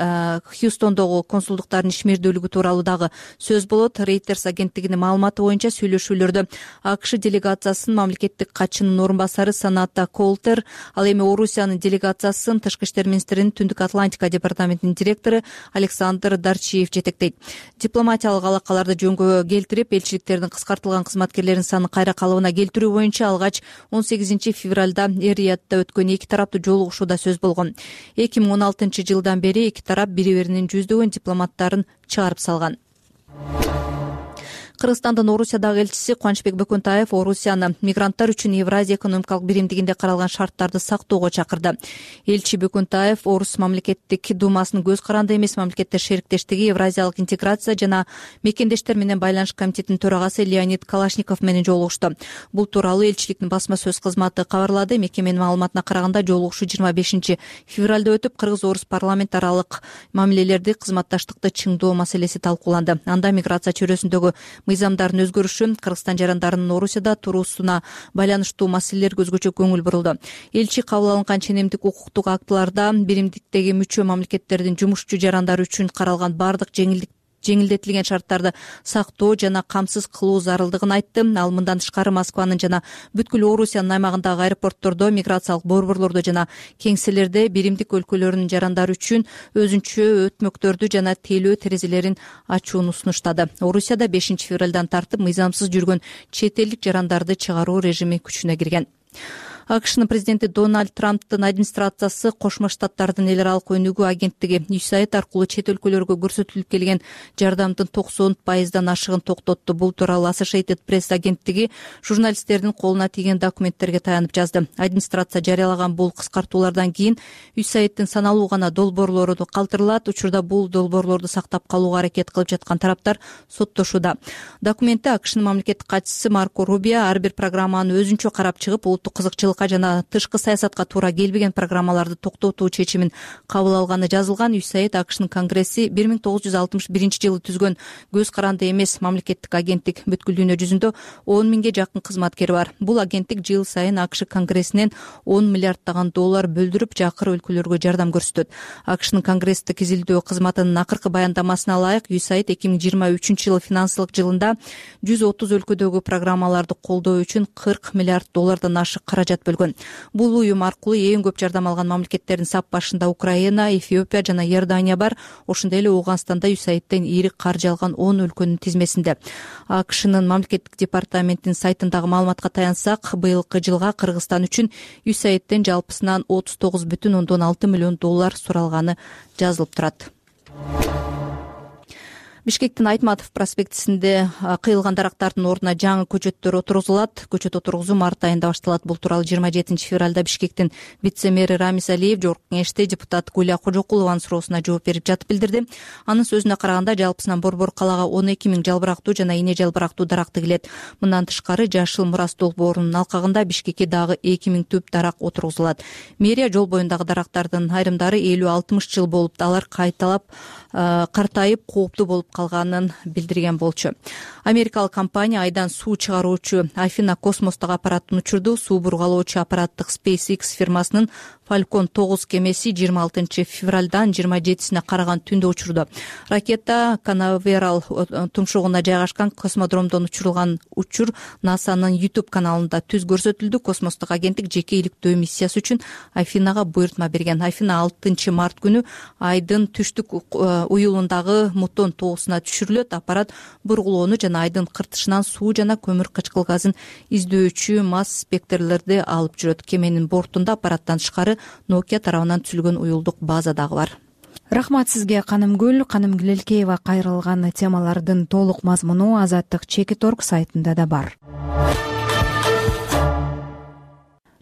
Хьюстондогу консулдуктардын ишмердүүлүгү тууралуу дагы сөз болот. Reuters агенттигинин маалыматы боюнча сүйлөшүүлөрдө АКШ делегациясынын мамлекеттик катчынын орун басары Саната Колтер, ал эми Орусиянын делегациясын тышкы иштер министринин Түндүк Атлантика департаментинин директору Александр Дарчиев жетектейт. Дипломатиялык алакаларды жөнгө келтирип, элчиликтердин кыскартылган кызматкерлеринин санын кайра калыбына келтирүү боюнча алгач он сегизинчи февралда Эр-Риядда өткөн эки тараптуу жолугушууда сөз болгон. эки миң он алтынчы жылдан бери эки тарап бири-биринин жүздөгөн дипломаттарын чыгарып салган. Кыргызстандын Орусиядагы элчиси Кубанычбек Бөкөнтаев Орусияны мигранттар үчүн Евразия экономикалык биримдигинде каралган шарттарды сактоого чакырды. Элчи Бөкөнтаев Орус мамлекеттик думасынын көз каранды эмес мамлекеттер шериктештиги, Евразиялык интеграция жана мекендештер менен байланыш комитетинин төрагасы Леонид Калашников менен жолугушту. Бул тууралуу элчиликтин басма сөз кызматы кабарлады. Мекеменин маалыматына караганда жолугушуу жыйырма бешинчи февралда өтүп, кыргыз-орус парламент аралык мамилелерди, кызматташтыкты чыңдоо маселеси талкууланды. Анда миграция чөйрөсүндөгү мыйзамдардын өзгөрүшү, Кыргызстан жарандарынын Орусияда туруусуна байланыштуу маселелерге өзгөчө көңүл бурулду. Элчи кабыл алынган ченемдик укуктук актыларда биримдиктеги мүчө мамлекеттердин жумушчу жарандары үчүн каралган бардык жеңилдик жеңилдетилген шарттарды сактоо жана камсыз кылуу зарылдыгын айтты. Ал мындан тышкары Москванын жана бүткүл Орусиянын аймагындагы аэропорттордо, миграциялык борборлордо жана кеңселерде биримдик өлкөлөрүнүн жарандары үчүн өзүнчө өтмөктөрдү жана тейлөө терезелерин ачууну сунуштады. Орусияда бешинчи февралдан тартып мыйзамсыз жүргөн чет элдик жарандарды чыгаруу режими күчүнө кирген. АКШнын президенти Дональд Трамптын администрациясы Кошмо Штаттардын эл аралык өнүгүү агенттиги ю эс эй ай ди аркылуу чет өлкөлөргө көрсөтүлүп келген жардамдын токсон пайыздан ашыгын токтотту. Бул тууралуу Associated Press агенттиги журналисттердин колуна тийген документтерге таянып жазды. Администрация жарыялаган бул кыскартуулардан кийин ю эс эй ай дин саналуу гана долбоорлору калтырылат. Учурда бул долбоорлорду сактап калууга аракет кылып жаткан тараптар соттошууда. Документте АКШнын мамлекеттик катчысы Марко Рубио ар бир программаны өзүнчө карап чыгып, улуттук кызыкчылыкка жана тышкы саясатка туура келбеген программаларды токтотуу чечимин кабыл алганы жазылган. ю эс эй ай ди АКШнын конгресси бир миң тогуз жүз алтымыш биринчи жылы түзгөн көз каранды эмес мамлекеттик агенттик. Бүткүл дүйнө жүзүндө он миңге жакын кызматкери бар. Бул агенттик жыл сайын АКШ конгрессинен он миллиарддаган доллар бөлдүрүп, жакыр өлкөлөргө жардам көрсөтөт. АКШнын конгресстик изилдөө кызматынын акыркы баяндамасына ылайык, ю эс эй ай ди эки миң жыйырма үчүнчү жылы финансылык жылында жүз отуз өлкөдөгү программаларды колдоо үчүн кырк миллиард доллардан ашык каражат бөлгөн. Бул уюм аркылуу эң көп жардам алган мамлекеттердин сап башында Украина, Эфиопия жана Иордания бар. Ошондой эле Ооганстанда ю эс эй ай диден ири каржы алган он өлкөнүн тизмесинде. АКШнын мамлекеттик департаментинин сайтындагы маалыматка таянсак, быйылкы жылга Кыргызстан үчүн ю эс эй ай диден жалпысынан отуз тогуз бүтүн ондон алты миллион доллар суралганы жазылып турат. Бишкектин Айтматов проспектисинде кыйылган дарактардын ордуна жаңы көчөттөр отургузулат. Көчөт отургузуу март айында башталат. Бул тууралуу жыйырма жетинчи февралда Бишкектин вице-мэри Рамиз Алиев жогорку кеңеште депутат Гуля Кожокулованын суроосуна жооп берип жатып билдирди. Анын сөзүнө караганда, жалпысынан борбор калаага он эки миң жалбырактуу жана ине жалбырактуу даракты келет. Мындан тышкары Жашыл Мурас долбоорунун алкагында Бишкекке дагы эки миң түп дарак отургузулат. Мэрия жол боюндагы дарактардын айрымдары элүү алтымыш жыл болуп, алар кайталап картайып, кооптуу болуп калганын билдирген болчу. Америкалык компания айдан суу чыгаруучу Афина космостук аппаратын учурду. Суу бургалоочу аппараттык SpaceX фирмасынын Falcon тогуз кемеси жыйырма алтынчы февралдан жыйырма жетисине караган түндө учурду. Ракета Канаверал тумшугуна жайгашкан космодромдон учурулган учур НАСАнын YouTube каналында түз көрсөтүлдү. Космостук агенттик жеке иликтөө миссиясы үчүн Афинага буйртма берген. Афина алтынчы март күнү айдын түштүк уюлундагы мутон тоосуна түшүрүлөт. Аппарат бургулоону жана айдын кыртышынан суу жана көмүр кычкыл газын издөөчү масс спектрлерди алып жүрөт. Кеменин бортунда аппараттан тышкары Nokia тарабынан түзүлгөн уюлдук база дагы бар. Рахмат сизге, Канымгүл. Канымгүл Элкеева кайрылган темалардын толук мазмуну Азаттык Чекит орг сайтында да бар.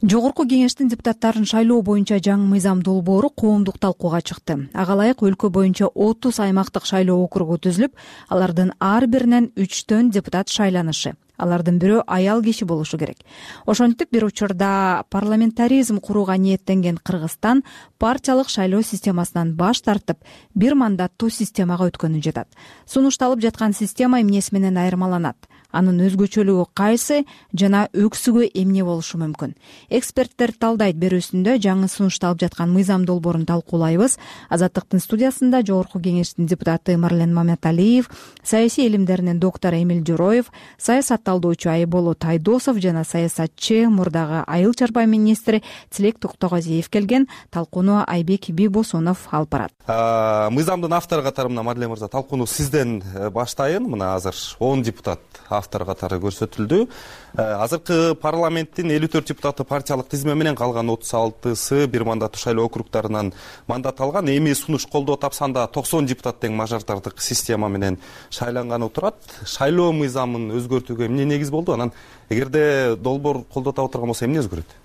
Жогорку кеңештин депутаттарын шайлоо боюнча жаңы мыйзам долбоору коомдук талкууга чыкты. Ага ылайык өлкө боюнча отуз аймактык шайлоо округу түзүлүп, алардын ар биринен үчтөн депутат шайланышы. Алардын бирөө аял киши болушу керек. Ошентип, бир учурда парламентаризм курууга ниеттенген Кыргызстан партиялык шайлоо системасынан баш тартып, бир мандаттуу системага өткөнү жатат. Сунушталып жаткан система эмнеси менен айырмаланат? Анын өзгөчөлүгү кайсы жана өксүгү эмне болушу мүмкүн? Эксперттер талдайт берүүсүндө жаңы сунушталып жаткан мыйзам долбоорун талкуулайбыз. Азаттыктын студиясында жогорку кеңештин депутаты Марлен Маматалиев, саясий илимдеринин доктору Эмил Жороев, саясат талдоочу Айболот Тайдосов жана саясатчы, мурдагы айыл чарба министри Тилек Токтогазиев келген. Талкууну Айбек Бибосунов алып барат. Мыйзамдын автору катарында Марлен мырза, талкууну сизден баштайын. Мына азыр он депутат автор катары көрсөтүлдү. Азыркы парламенттин элүү төрт депутаты партиялык тизме менен, калган отуз алтысы бир мандаттуу шайлоо округдарынан мандат алган. Эми сунуш колдоо тапсанда токсон депутат тең мажоритардык система менен шайланганы турат. Шайлоо мыйзамын өзгөртүүгө эмне негиз болду? Анан эгерде долбоор колдоо таап отурган болсо эмне өзгөрөт?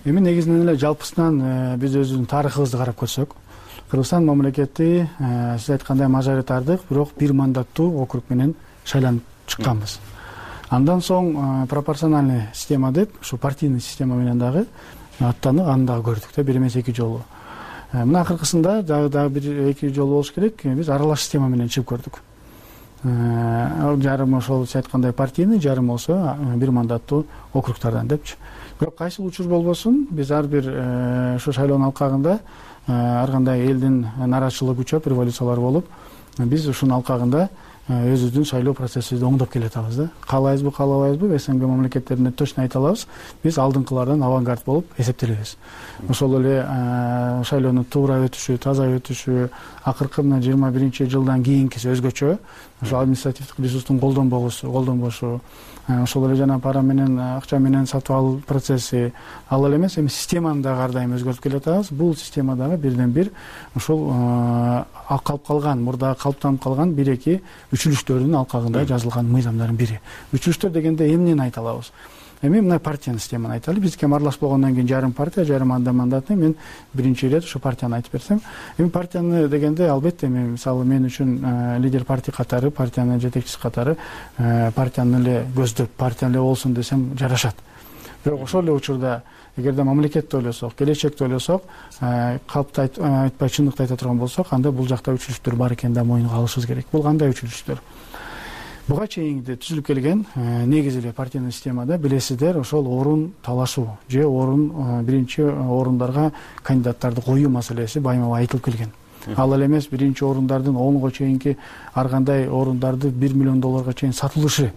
Эми негизинен эле жалпысынан биз өзүбүздүн тарыхыбызды карап көрсөк, Кыргызстан мамлекети сиз айткандай мажоритардык, бирок бир мандаттуу округ менен шайланып чыкканбыз. Андан соң пропорциональный система деп, ушу партийный система менен дагы аттанып, аны дагы көрдүк да, бир эмес эки жолу. Мына акыркысында дагы дагы бир эки жолу болуш керек, биз аралаш система менен чыгып көрдүк. Жарым ошол сиз айткандай партийный, жарым болсо бир мандаттуу округдардан депчи. Бирок кайсыл учур болбосун, биз ар бир ушу шайлоонун алкагында ар кандай элдин нааразычылыгы күчөп, революциялар болуп, биз ушунун алкагында өзүбүздүн шайлоо процессибизди оңдоп келатабыз да. Каалайбызбы, каалабайбызбы, СНГ мамлекеттеринде точно айта алабыз, биз алдыңкылардан авангард болуп эсептелебиз. Ошол эле шайлоонун туура өтүшү, таза өтүшү, акыркы мына жыйырма биринчи жылдан кийинкиси өзгөчө. Ошол административдик ресурстун колдонбогусу, колдонбошу, ошол эле жана пара менен, акча менен сатып алуу процесси, ал эле эмес, эми системаны дагы ар дайым өзгөртүп келатабыз. Бул система дагы бирден бир ушул калып калган, мурда калыптанып калган бир эки үчүлүштөрдүн алкагында жазылган мыйзамдардын бири. Үчүлүштөр дегенде эмнени айта алабыз? Эми мына партиянын системаны айталы. Биздики аралаш болгондон кийин жарым партия, жарым анда мандатный. Мен биринчи ирет ушу партияны айтып берсем, эми партияны дегенде албетте эми мисалы мен үчүн лидер партия катары, партиянын жетекчиси катары партияны эле көздөп, партия эле болсун десем жарашат. Бирок ошол эле учурда эгерде мамлекетти ойлосок, келечекти ойлосок, калпты айтпай чындыкты айта турган болсок, анда бул жакта үчүлүштөр бар экенин да моюнга алышыбыз керек. Бул кандай үчүлүштөр? Буга чейинки түзүлүп келген негизи эле партийный системада билесиздер, ошол орун талашуу же орун биринчи орундарга кандидаттарды коюу маселеси байма-бай айтылып келген. Ал эле эмес, биринчи орундардын онго чейинки ар кандай орундарды бир миллион долларга чейин сатылышы,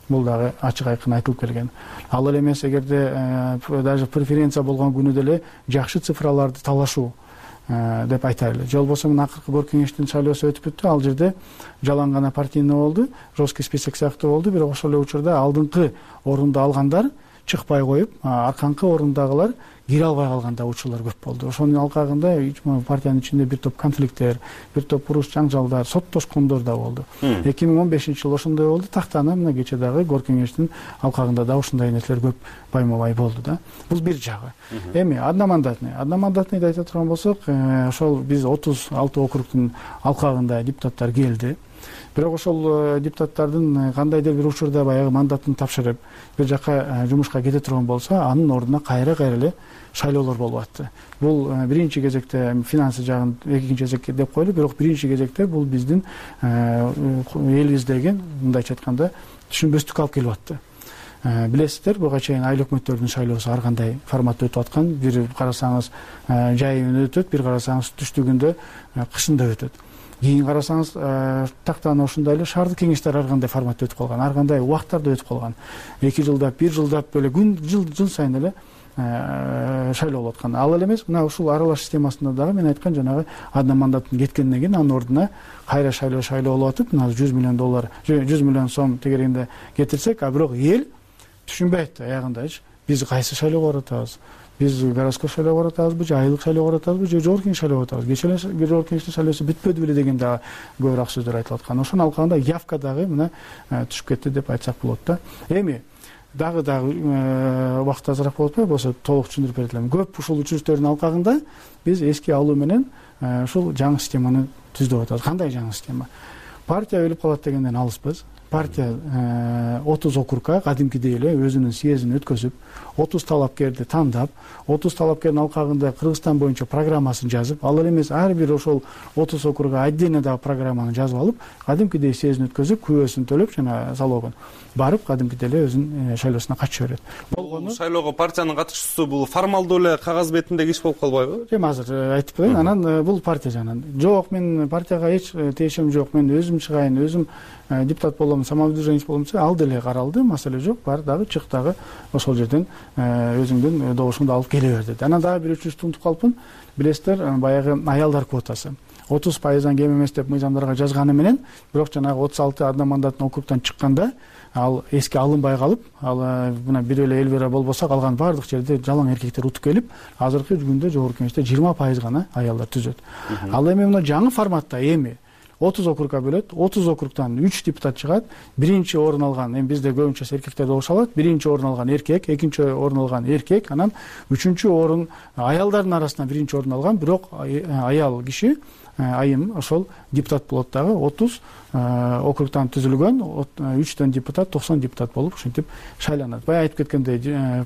бул дагы ачык айкын айтылып келген. Ал эле эмес, эгерде даже преференция болгон күнү деле жакшы цифраларды талашуу деп айтайлы. Же болбосо мына акыркы Горкий кеңештин шайлоосу өтүп бүттү. Ал жерде жалаң гана партийный болду, жесткий список сыяктуу болду, бирок ошол эле учурда алдыңкы орунду алгандар чыкпай коюп, арканкы орундагылар кире албай калганда учурлар көп болду. Ошонун алкагында партиянын ичинде бир топ конфликттер, бир топ уруш жаңжалдар, соттошкондор да болду. эки миң он бешинчи жылы ошондой болду. Тактана мына кече дагы Горкий кеңештин алкагында да ушундай нерселер көп байма-бай болду да. Бул бир жагы. Эми одномандатный, одномандатныйды айта турган болсок, ошол биз отуз алты округдун алкагында депутаттар келди. Бирок ошол депутаттардын кандайдыр бир учурда баягы мандатын тапшырып, бир жака жумушка кете турган болсо, анын ордуна кайра-кайра эле шайлоолор болуп атты. Бул биринчи кезекте финансы жагын экинчи кезекке деп койлу, бирок биринчи кезекте бул биздин элибиздеги, мындайча айтканда, түшүнбөстүк алып келип атты. Билесиздер, буга чейин айыл өкмөттөрдүн шайлоосу ар кандай форматта өтүп аткан. Бир карасаңыз жайында өтөт, бир карасаңыз түштүгүндө, кышында өтөт. Кийин карасаңыз тактана ошондой эле шаардык кеңештер ар кандай форматта өтүп калган, ар кандай убакыттарда өтүп калган. эки жылдап, бир жылдап эле күн жыл жыл сайын эле шайлоо болуп аткан. Ал эле эмес, мына ушул аралаш системасында дагы мен айткан жанагы одномандаттын кеткенден кийин анын ордуна кайра шайлоо шайлоо болуп атып, мына жүз миллион доллар, жүз миллион сом тегерегинде кетирсек, а бирок эл түшүнбөйт аягындачы. Биз кайсы шайлоого баратабыз? Биз городской шайлоого баратабызбы, же айылык шайлоого баратабызбы, же жогорку кеңеш шайлоого баратабыз? Кечээ эле жогорку кеңештин шайлоосу бүтпөдү беле деген дагы көбүрөөк сөздөр айтылып аткан. Ошонун алкагында явка дагы мына түшүп кетти деп айтсак болот да. Эми дагы дагы убакыт азыраак болуп атпайбы? Болсо толук түшүндүрүп бере элем. Көп ушул үчүлүштөрдүн алкагында биз эски алуу менен ушул жаңы системаны түздөп атабыз. Кандай жаңы система? Партия өлүп калат дегенден алыспыз. Партия отуз округга кадимкидей эле өзүнүн съездин өткөзүп, отуз талапкерди тандап, отуз талапкердин алкагында Кыргызстан боюнча программасын жазып, ал эле эмес ар бир ошол отуз округга отдельно дагы программаны жазып алып, кадимкидей съездин өткөзүп, күбөсүн төлөп жана залогун барып, кадимкидей эле өзүнүн шайлоосуна катыша берет. Болгону шайлоого партиянын катышуусу бул формалдуу эле кагаз бетиндеги иш болуп калбайбы? Эми азыр айтып коеюн, анан бул партия жанынан. Жок, мен партияга эч тиешим жок, мен өзүм чыгайын, өзүм депутат болом, самообслуживание болом десе, ал деле каралды, маселе жок, бар дагы чык дагы ошол жерден өзүңдүн добушуңду алып келе бер деди. Анан дагы бир үчүнчү унутуп калыпмын. Билесиздер, баягы аялдар квотасы отуз пайыздан кем эмес деп мыйзамдарга жазганы менен, бирок жанагы отуз алты одномандаттын округдан чыкканда ал эске алынбай калып, ал мына бир эле эл бира болбосо калган баардык жерде жалаң эркектер утуп келип, азыркы күндө жогорку кеңеште жыйырма пайыз гана аялдар түзөт. Ал эми мына жаңы форматта эми отуз округга бөлөт, отуз округдан үч депутат чыгат. Биринчи орун алган, эми бизде көбүнчөсү эркектер добуш алат. Биринчи орун алган эркек, экинчи орун алган эркек, анан үчүнчү орун аялдардын арасынан биринчи орун алган, бирок аял киши айым ошол депутат болот дагы. отуз округдан түзүлгөн үчтөн депутат, токсон депутат болуп ушинтип шайланат. Бая айтып кеткендей,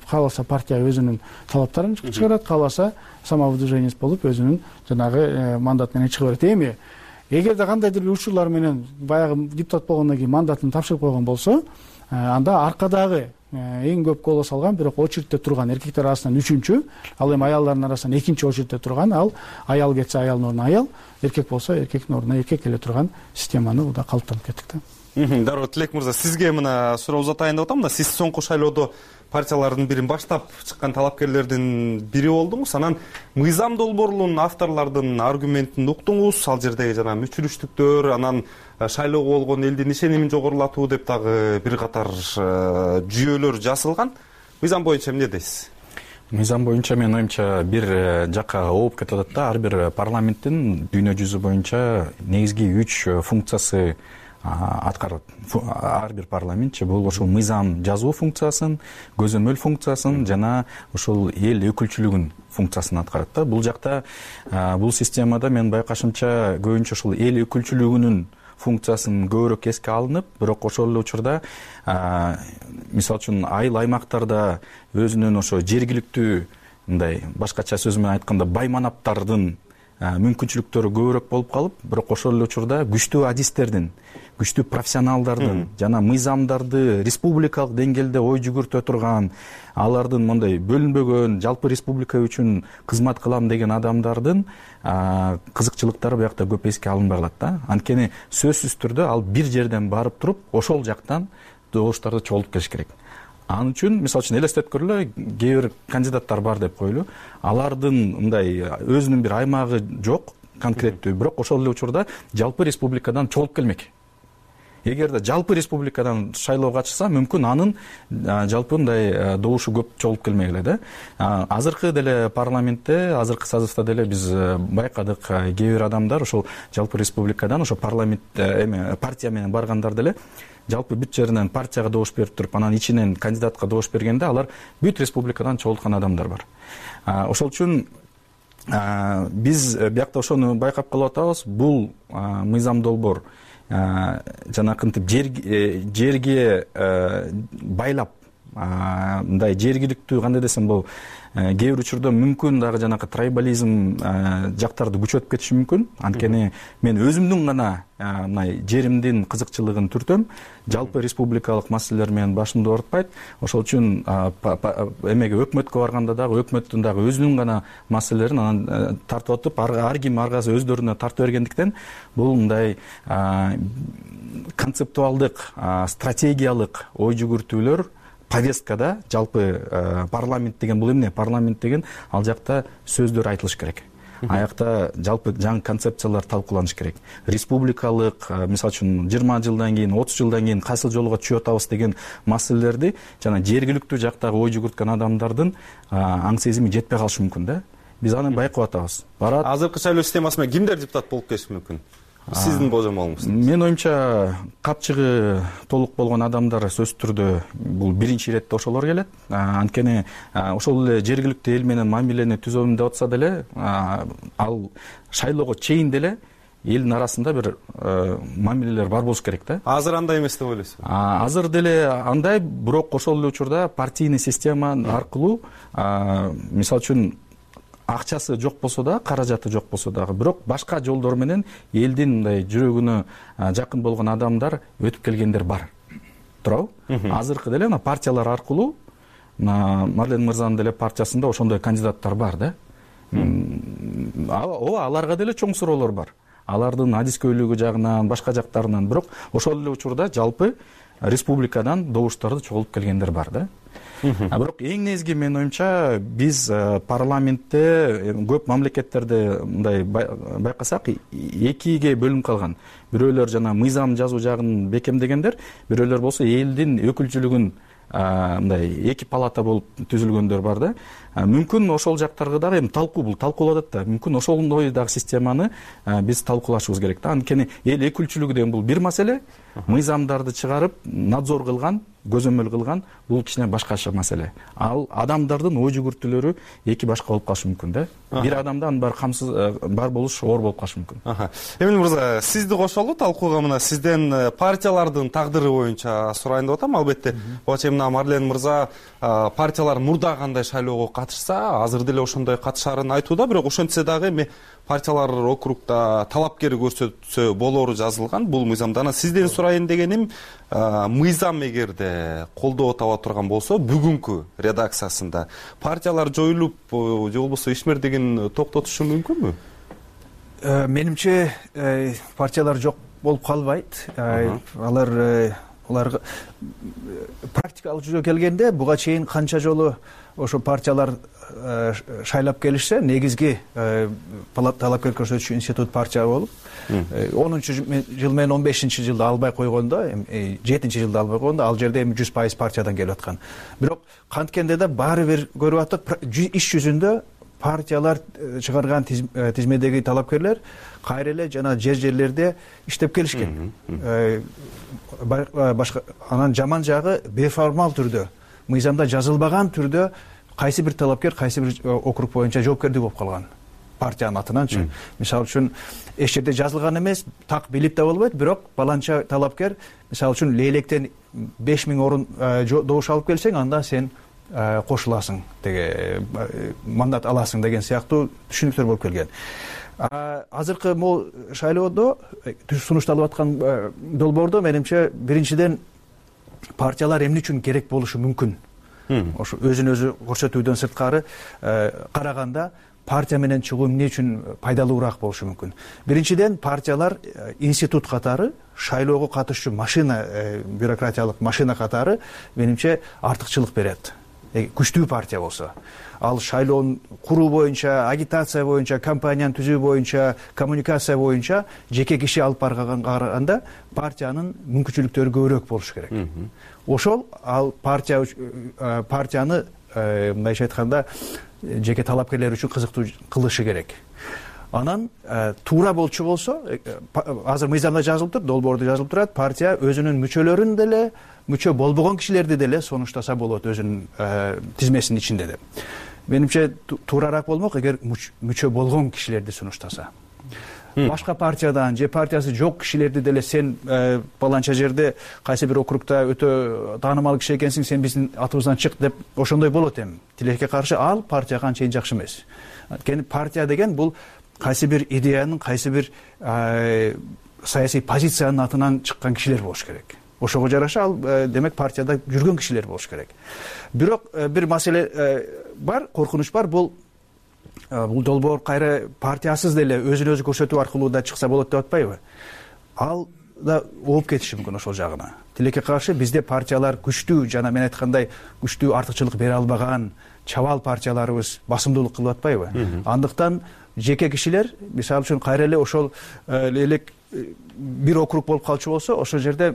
кааласа партия өзүнүн талаптарын чыгарат, кааласа самовыдвиженец болуп өзүнүн жанагы мандат менен чыга берет. Эми эгерде кандайдыр бир учурлар менен баягы депутат болгондон кийин мандатын тапшырып койгон болсо, анда аркадагы эң көп голос алган, бирок очередте турган эркектер арасынан үчүнчү, ал эми аялдардын арасынан экинчи очередте турган, ал аял кетсе аялдын ордуна аял, эркек болсо эркектин ордуна эркек келе турган системаны да калыптанып кеттик да. Дароо, Тилек мырза, сизге мына суроо узатайын деп атам да. Сиз соңку шайлоодо партиялардын бирин баштап чыккан талапкерлердин бири болдуңуз. Анан мыйзам долбоорунун авторлордун аргументин уктуңуз, ал жердеги жана мүчүрүштүктөр, анан шайлоого болгон элдин ишенимин жогорулатуу деп дагы бир катар жүйөлөр жасалган. Мыйзам боюнча эмне дейсиз? Мыйзам боюнча менин оюмча бир жакка ооп кетип атат да. Ар бир парламенттин дүйнө жүзү боюнча негизги үч функциясы аткарат. Ар бир парламентчи бул ошол мыйзам жазуу функциясын, көзөмөл функциясын жана ошол эл өкүлчүлүгүн функциясын аткарат да. Бул жакта, бул системада мен байкашымча көбүнчө ушул эл өкүлчүлүгүнүн функциясын көбүрөөк эске алынып, бирок ошол эле учурда мисалы үчүн айыл аймактарда өзүнүн ошо жергиликтүү, мындай башкача сөз менен айтканда бай манаптардын мүмкүнчүлүктөрү көбүрөөк болуп калып, бирок ошол эле учурда күчтүү адистердин, күчтүү профессионалдардын жана мыйзамдарды республикалык деңгээлде ой жүгүртө турган, алардын мындай бөлүнбөгөн жалпы республика үчүн кызмат кылам деген адамдардын кызыкчылыктары биякта көп эске алынбай калат да. Анткени сөзсүз түрдө ал бир жерден барып туруп, ошол жактан добуштарды чогултуп келиш керек. Ал үчүн мисалы үчүн элестетип көрөлү, кээ бир кандидаттар бар деп коелу. Алардын мындай өзүнүн бир аймагы жок, конкреттүү, бирок ошол эле учурда жалпы республикадан чогулуп келмек. Эгерде жалпы республикадан шайлоого катышса, мүмкүн анын жалпы мындай добушу көп чогулуп келмек эле да. Азыркы деле парламентте, азыркы созывда деле биз байкадык, кээ бир адамдар ошол жалпы республикадан ошо парламент эме партия менен баргандар деле жалпы бүт жеринен партияга добуш берип туруп, анан ичинен кандидатка добуш бергенде алар бүт республикадан чогулткан адамдар бар. Ошол үчүн биз биякта ошону байкап калып атабыз. Бул мыйзам долбоор жанакынтип жерге байлап, мындай жергиликтүү кандай десем, бул кээ бир учурда мүмкүн дагы жанакы трайбализм жактарды күчөтүп кетиши мүмкүн. Анткени мен өзүмдүн гана мындай жеримдин кызыкчылыгын түртөм, жалпы республикалык маселелер менен башымды оорутпайт. Ошол үчүн эмеге өкмөткө барганда дагы өкмөттүн дагы өзүнүн гана маселелерин анан тартып атып, ар ким ар кайсы өздөрүнө тартып бергендиктен бул мындай концептуалдык, стратегиялык ой жүгүртүүлөр повесткада, жалпы парламент деген бул эмне? Парламент деген ал жакта сөздөр айтылыш керек. Аякта жалпы жаңы концепциялар талкууланыш керек. Республикалык, мисалы үчүн жыйырма жылдан кийин, отуз жылдан кийин кайсыл жолго түшүп атабыз деген маселелерди жана жергиликтүү жактагы ой жүгүрткөн адамдардын аң сезими жетпей калышы мүмкүн да. Биз аны байкап атабыз. Барат. Азыркы шайлоо системасы менен кимдер депутат болуп келиши мүмкүн? Сиздин болжомолуңуз? Мен оюмча капчыгы толук болгон адамдар сөзсүз түрдө бул биринчи иретте ошолор келет. Анткени ошол эле жергиликтүү эл менен мамилени түзөм деп атса деле, ал шайлоого чейин деле элдин арасында бир мамилелер бар болуш керек да. Азыр андай эмес деп ойлойсузбу? Азыр деле андай, бирок ошол эле учурда партийный система аркылуу, мисалы үчүн акчасы жок болсо да, каражаты жок болсо дагы, бирок башка жолдор менен элдин мындай жүрөгүнө жакын болгон адамдар өтүп келгендер бар. Туурабы? Азыркы деле мына партиялар аркылуу, Марлен мырзанын деле партиясында ошондой кандидаттар бар да. Ооба, аларга деле чоң суроолор бар. Алардын адискөйлүгү жагынан, башка жактарынан, бирок ошол эле учурда жалпы республикадан добуштарды чогултуп келгендер бар да. Бирок эң негизги менин оюмча биз парламентте көп мамлекеттерде мындай байкасак экиге бөлүнүп калган. Бирөөлөр жана мыйзам жазуу жагын бекемдегендер, бирөөлөр болсо элдин өкүлчүлүгүн мындай эки палата болуп түзүлгөндөр бар да. Мүмкүн ошол жактарга дагы эми талкуу бул талкуулап атат да. Мүмкүн ошондой дагы системаны биз талкуулашыбыз керек да. Анткени эл өкүлчүлүгү деген бул бир маселе, мыйзамдарды чыгарып, надзор кылган, көзөмөл кылган бул кичине башкача маселе. Ал адамдардын ой жүгүртүүлөрү эки башка болуп калышы мүмкүн да. Бир адамда анын баары камсыз бар болуш оор болуп калышы мүмкүн. Эмил мырза, сизди кошолу талкууга. Мына сизден партиялардын тагдыры боюнча сурайын деп атам. Албетте, бачы мына Марлен мырза партиялар мурда кандай шайлоого катышса, азыр деле ошондой катышарын айтууда, бирок ошентсе дагы эми партиялар округда талапкер көрсөтсө болору жазылган бул мыйзамда. Анан сизден сурайын дегеним, мыйзам эгерде колдоо таба турган болсо, бүгүнкү редакциясында партиялар жоюлуп же болбосо ишмердигин токтотушу мүмкүнбү? Менимче партиялар жок болуп калбайт. Алар аларга практикалык жүзгө келгенде буга чейин канча жолу ошо партиялар шайлап келишсе, негизги талапкер көрсөтүүчү институт партия болуп, онунчу жыл менен он бешинчи жылда албай койгондо, жетинчи жылда албай койгондо, ал жерде эми жүз пайыз партиядан келип аткан. Бирок канткенде да баары бир көрүп аттык, иш жүзүндө партиялар чыгарган тизмедеги талапкерлер кайра эле жана жер жерлерде иштеп келишкен. Башка анан жаман жагы беформал түрдө, мыйзамда жазылбаган түрдө кайсы бир талапкер кайсы бир округ боюнча жоопкердик болуп калган партиянын атынанчы. Мисалы үчүн эч жерде жазылган эмес, так билип да болбойт, бирок баланча талапкер, мисалы үчүн Лейлектен беш миң орун добуш алып келсең, анда сен кошуласың, деге мандат аласың деген сыяктуу түшүнүктөр болуп келген. Азыркы могул шайлоодо сунушталып аткан долбоордо менимче биринчиден партиялар эмне үчүн керек болушу мүмкүн. Ошо өзүн өзү көрсөтүүдөн сырткары караганда партия менен чыгуу эмне үчүн пайдалуураак болушу мүмкүн. Биринчиден партиялар институт катары, шайлоого катышчу машина, бюрократиялык машина катары менимче артыкчылык берет. Күчтүү партия болсо, ал шайлоонун куруу боюнча, агитация боюнча, кампанияны түзүү боюнча, коммуникация боюнча жеке киши алып барганга караганда партиянын мүмкүнчүлүктөрү көбүрөөк болушу керек. Ошол ал партия партияны мындайча айтканда жеке талапкерлер үчүн кызыктуу кылышы керек. Анан туура болчу болсо, азыр мыйзамда жазылып турат, долбоордо жазылып турат, партия өзүнүн мүчөлөрүн деле, мүчө болбогон кишилерди деле сонуштаса болот өзүнүн тизмесинин ичинде деп. Менимче туурараак болмок эгер мүчө болгон кишилерди сунуштаса. Башка партиядан же партиясы жок кишилерди деле сен баланча жерде кайсы бир округда өтө таанымал киши экенсиң, сен биздин атыбыздан чык деп ошондой болот эми. Тилекке каршы ал партияга анчейин жакшы эмес. Анткени партия деген бул кайсы бир идеянын, кайсы бир саясий позициянын атынан чыккан кишилер болуш керек. Ошого жараша ал демек партияда жүргөн кишилер болуш керек. Бирок бир маселе бар, коркунуч бар, бул бул долбоор кайра партиясыз деле өзүн өзү көрсөтүү аркылуу да чыкса болот деп атпайбы? Ал да ооп кетиши мүмкүн ошол жагына. Тилекке каршы бизде партиялар күчтүү жана мен айткандай күчтүү артыкчылык бере албаган чабал партияларыбыз басымдуулук кылып атпайбы? Андыктан жеке кишилер, мисалы үчүн кайра эле ошол элек бир округ болуп калчу болсо, ошол жерде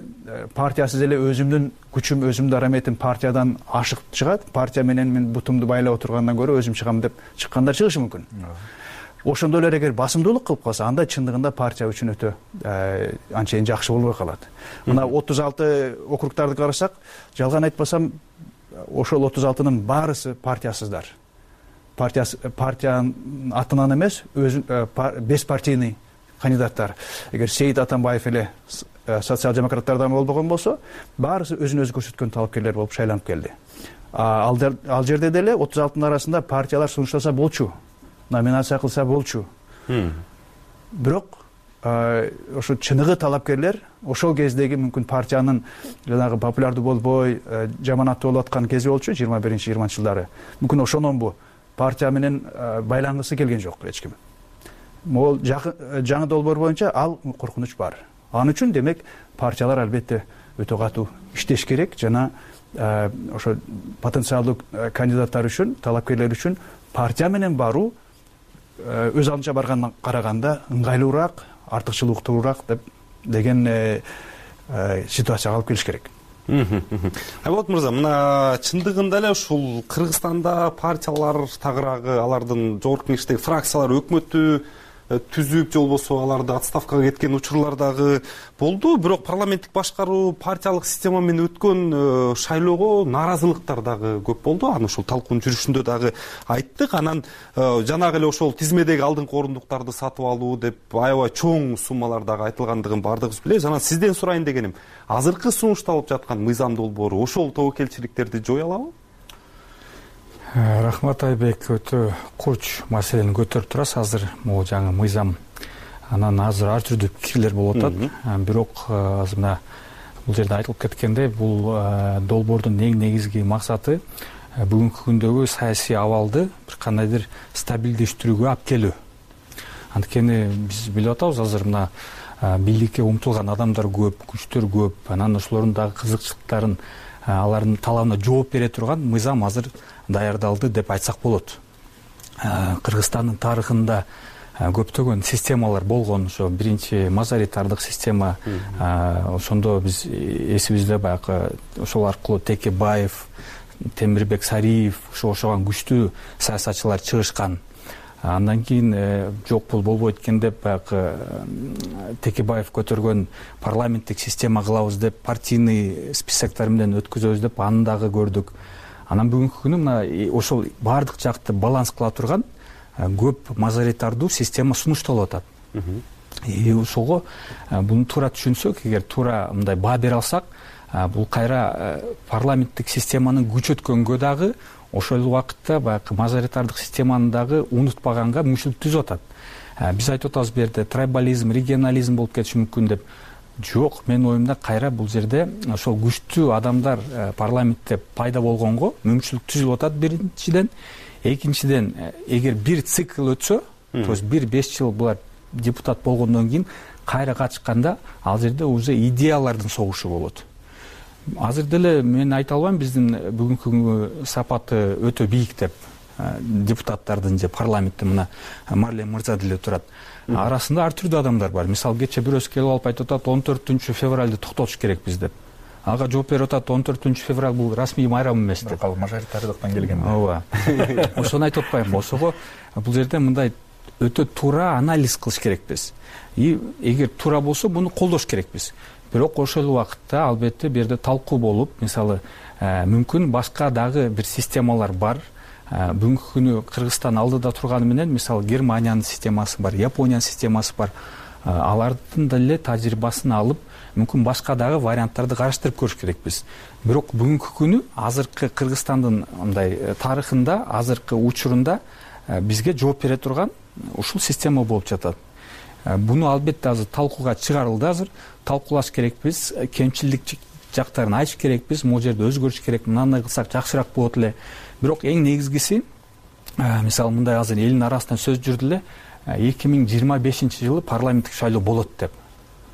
партиясыз эле өзүмдүн күчүм, өзүмдүн дараметим партиядан ашык чыгат. Партия менен мен бутумду байлап отургандан көрө өзүм чыгам деп чыккандар чыгышы мүмкүн. Ошондой эле эгер басымдуулук кылып калса, анда чындыгында партия үчүн өтө анчейин жакшы болбой калат. Мына отуз алты округдарды карасак, жалган айтпасам, ошол отуз алтынын баарысы партиясыздар. Партиянын атынан эмес, өзү беспартийный кандидаттар. Эгер Сейит Атамбаев эле социал-демократтардан болбогон болсо, баарысы өзүн өзү көрсөткөн талапкерлер болуп шайланып келди. Ал жерде деле отуз алтынын арасында партиялар сунуштаса болчу, номинация кылса болчу. Бирок ошо чыныгы талапкерлер ошол кездеги мүмкүн партиянын жанагы популярдуу болбой, жаман аттуу болуп аткан кези болчу, жыйырма биринчи жыйырманчы жылдары. Мүмкүн ошононбу партия менен байлангысы келген жок эч ким. Могул жаңы долбоор боюнча ал коркунуч бар. Ал үчүн демек партиялар албетте өтө катуу иштеш керек жана ошо потенциалдуу кандидаттар үчүн, талапкерлер үчүн партия менен баруу өз алдынча баргандан караганда ыңгайлуураак, артыкчылыктуураак деп деген ситуацияга алып келиш керек. Айболот мырза, мына чындыгында эле ушул Кыргызстанда партиялар тагыраагы, алардын жогорку кеңештеги фракциялар өкмөттү түзүп, же болбосо аларды отставкага кеткен учурлар дагы болду. Бирок парламенттик башкаруу, партиялык система менен өткөн шайлоого нааразылыктар дагы көп болду. Аны ушул талкуунун жүрүшүндө дагы айттык. Анан жанагы эле ошол тизмедеги алдыңкы орундуктарды сатып алуу деп аябай чоң суммалар дагы айтылгандыгын баардыгыбыз билебиз. Анан сизден сурайын дегеним, азыркы сунушталып жаткан мыйзам долбоору ошол тобокелчиликтерди жое алабы? Рахмат Айбек, өтө куч маселени көтөрүп турасыз. Азыр могу жаңы мыйзам, анан азыр ар түрдүү пикирлер болуп атат. Бирок азыр мына бул жерде айтылып кеткендей, бул долбоордун эң негизги максаты бүгүнкү күндөгү саясий абалды бир кандайдыр стабилдештирүүгө алып келүү. Анткени биз билип атабыз, азыр мына бийликке умтулган адамдар көп, күчтөр көп. Анан ошолордун дагы кызыкчылыктарын, алардын талабына жооп бере турган мыйзам азыр даярдалды деп айтсак болот. Кыргызстандын тарыхында көптөгөн системалар болгон. Ошо биринчи мажоритардык система, ошондо биз эсибизде баягы ошол аркылуу Текебаев, Темирбек Сариев, ошо ошогон күчтүү саясатчылар чыгышкан. Андан кийин жок бул болбойт экен деп баягы Текебаев көтөргөн парламенттик система кылабыз деп, партийный списоктор менен өткөзөбүз деп аны дагы көрдүк. Анан бүгүнкү күнү мына ошол баардык жакты баланс кыла турган көп мажоритардуу система сунушталып атат. И ошого буну туура түшүнсөк, эгер туура мындай баа бере алсак, бул кайра парламенттик системанын күч өткөнгө дагы, ошол убакытта баягы мажоритардык системаны дагы унутпаганга мүмкүнчүлүк түзүп атат. Биз айтып атабыз бу жерде трибализм, регионализм болуп кетиши мүмкүн деп. Жок, менин оюмда кайра бул жерде ошол күчтүү адамдар парламентте пайда болгонго мүмкүнчүлүк түзүлүп атат биринчиден. Экинчиден, эгер бир цикл өтсө, то есть бир беш жыл булар депутат болгондон кийин кайра катышканда, ал жерде уже идеялардын согушу болот. Азыр деле мен айта албайм биздин бүгүнкү сапаты өтө бийик деп, депутаттардын же парламентте мына Марлен мырза деле турат. Арасында ар түрдүү адамдар бар. Мисалы, кече бирөөсү келип алып айтып атат, он төртүнчү февралды токтотуш керекпиз деп. Ага жооп берип атат, он төртүнчү февраль бул расмий майрам эмес деп. Ал мажоритардыктан келген. Ооба. Ошону айтып атпайм. Ошого бул жерде мындай өтө туура анализ кылыш керекпиз. И эгер туура болсо, муну колдош керекпиз. Бирок ошол убакытта албетте бу жерде талкуу болуп, мисалы, мүмкүн башка дагы бир системалар бар. Бүгүнкү күнү Кыргызстан алдыда турганы менен, мисалы, Германиянын системасы бар, Япониянын системасы бар. Алардын деле тажрыйбасын алып, мүмкүн башка дагы варианттарды караштырып көрүш керекпиз. Бирок бүгүнкү күнү азыркы Кыргызстандын мындай тарыхында, азыркы учурунда бизге жооп бере турган ушул система болуп жатат. Буну албетте азыр талкууга чыгарылды, азыр талкуулаш керекпиз, кемчилдик жактарын айтыш керекпиз, могу жерде өзгөрүш керек, мындай кылсак жакшыраак болот эле. Бирок эң негизгиси, мисалы, мындай азыр элдин арасынан сөз жүрдү эле, эки миң жыйырма бешинчи жылы парламенттик шайлоо болот деп.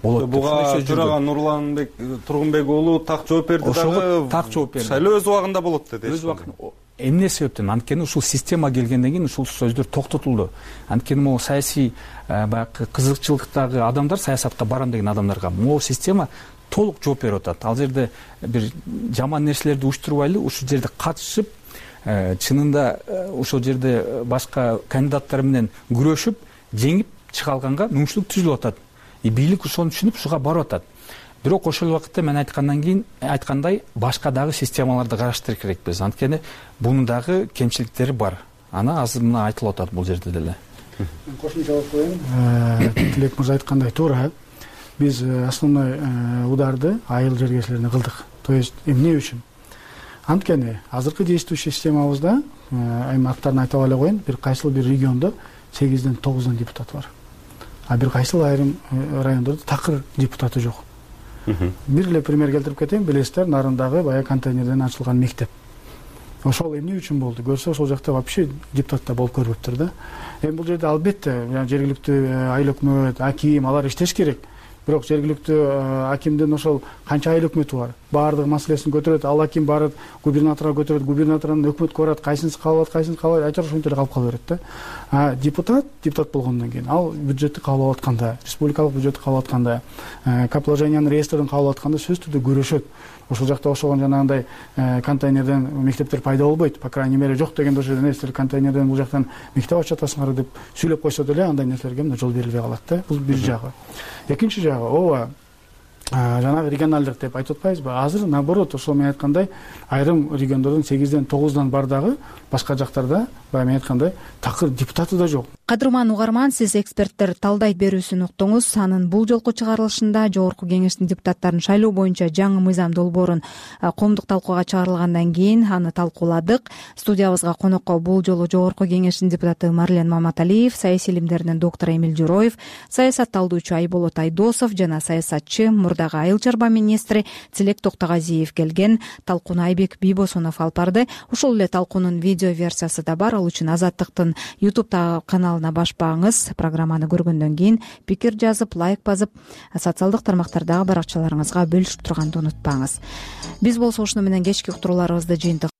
Болот. Буга Жураган Нурланбек Тургунбек уулу так жооп берди дагы. Так жооп берди. Шайлоо өз убагында болот деди. Өз убагында. Эмне себептен? Анткени ушул система келгенден кийин ушул сөздөр токтотулду. Анткени могу саясий баягы кызыкчылыктагы адамдар, саясатка барам деген адамдарга могу система толук жооп берип атат. Ал жерде бир жаман нерселерди уюштурбайлы, ушул жерде катышып, чынында ошол жерде башка кандидаттар менен күрөшүп, жеңип чыга алганга мүмкүнчүлүк түзүлүп атат. И бийлик ошону түшүнүп, ушуга барып атат. Бирок ошол убакытта мен айткандан кийин айткандай башка дагы системаларды караштырыш керекпиз. Анткени бунун дагы кемчиликтери бар. Аны азыр мына айтылып атат бул жерде деле. Мен кошумчалап коеюн. Тилек мырза айткандай туура. Биз основной ударды айыл жергечилерине кылдык. То есть эмне үчүн? Анткени азыркы действующий системабызда, эми аттарын айтып эле коеюн, бир кайсыл бир региондо сегизден тогуздан депутат бар. А бир кайсыл айрым райондордо такыр депутаты жок. Бир эле пример келтирип кетейин, билесиздер, Нарындагы баягы контейнерден ачылган мектеп. Ошол эмне үчүн болду? Көрсө, ошол жакта вообще депутаттар болуп көрбөптүр да. Эми бул жерде албетте жергиликтүү айыл өкмөт, аким алар иштеш керек. бирок жергиликтүү акимдин ошол канча айыл өкмөтү бар, баардык маселесин көтөрөт. Ал аким барып губернаторго көтөрөт, губернатордон өкмөткө барат, кайсынысы кабыл алат, кайсынысы кабыл албайт, айтор ошентип эле калып кала берет да. А депутат депутат болгондон кийин ал бюджетти кабыл алып атканда, республикалык бюджетти кабыл алып атканда, капиталовложениянын реестрин кабыл алып атканда сөзсүз түрдө көрүшөт. Ошол жакта ошого жанагындай контейнерден мектептер пайда болбойт, по крайней мере жок дегенде ошол жерден силер контейнерден бул жактан мектеп ачып атасыңар деп сүйлөп койсо деле андай нерселерге мына жол берилбей калат да. Бул бир жагы. Экинчи жагы, ооба жанагы регионалдык деп айтып атпайбызбы? Азыр наоборот, ошол мен айткандай айрым региондордун сегизден тогуздан бар дагы башка жактарда баягы мен айткандай такыр депутаты да жок. Кадырман угарман, сиз эксперттер талдайт берүүсүн уктуңуз. Анын бул жолку чыгарылышында Жогорку Кеңештин депутаттарын шайлоо боюнча жаңы мыйзам долбоорун коомдук талкууга чыгарылгандан кийин аны талкууладык. Студиябызга конокко бул жолу Жогорку Кеңештин депутаты Марлен Маматалиев, саясий илимдеринин доктору Эмил Журоев, саясатталдоочу Айболот Айдосов жана саясатчы мурдагы айыл чарба министри Тилек Токтогазиев келген. Талкууну Айбек Бийбосунов алып барды. Ошол эле талкуунун видео версиясы да бар. Ал үчүн Азаттыктын YouTube каналына башпаңыз. Программаны көргөндөн кийин пикир жазып, лайк басып, социалдык тармактардагы баракчаларыңызга бөлүшүп турганды унутпаңыз. Биз болсо ушуну менен кечки уктурууларыбызды жыйынтык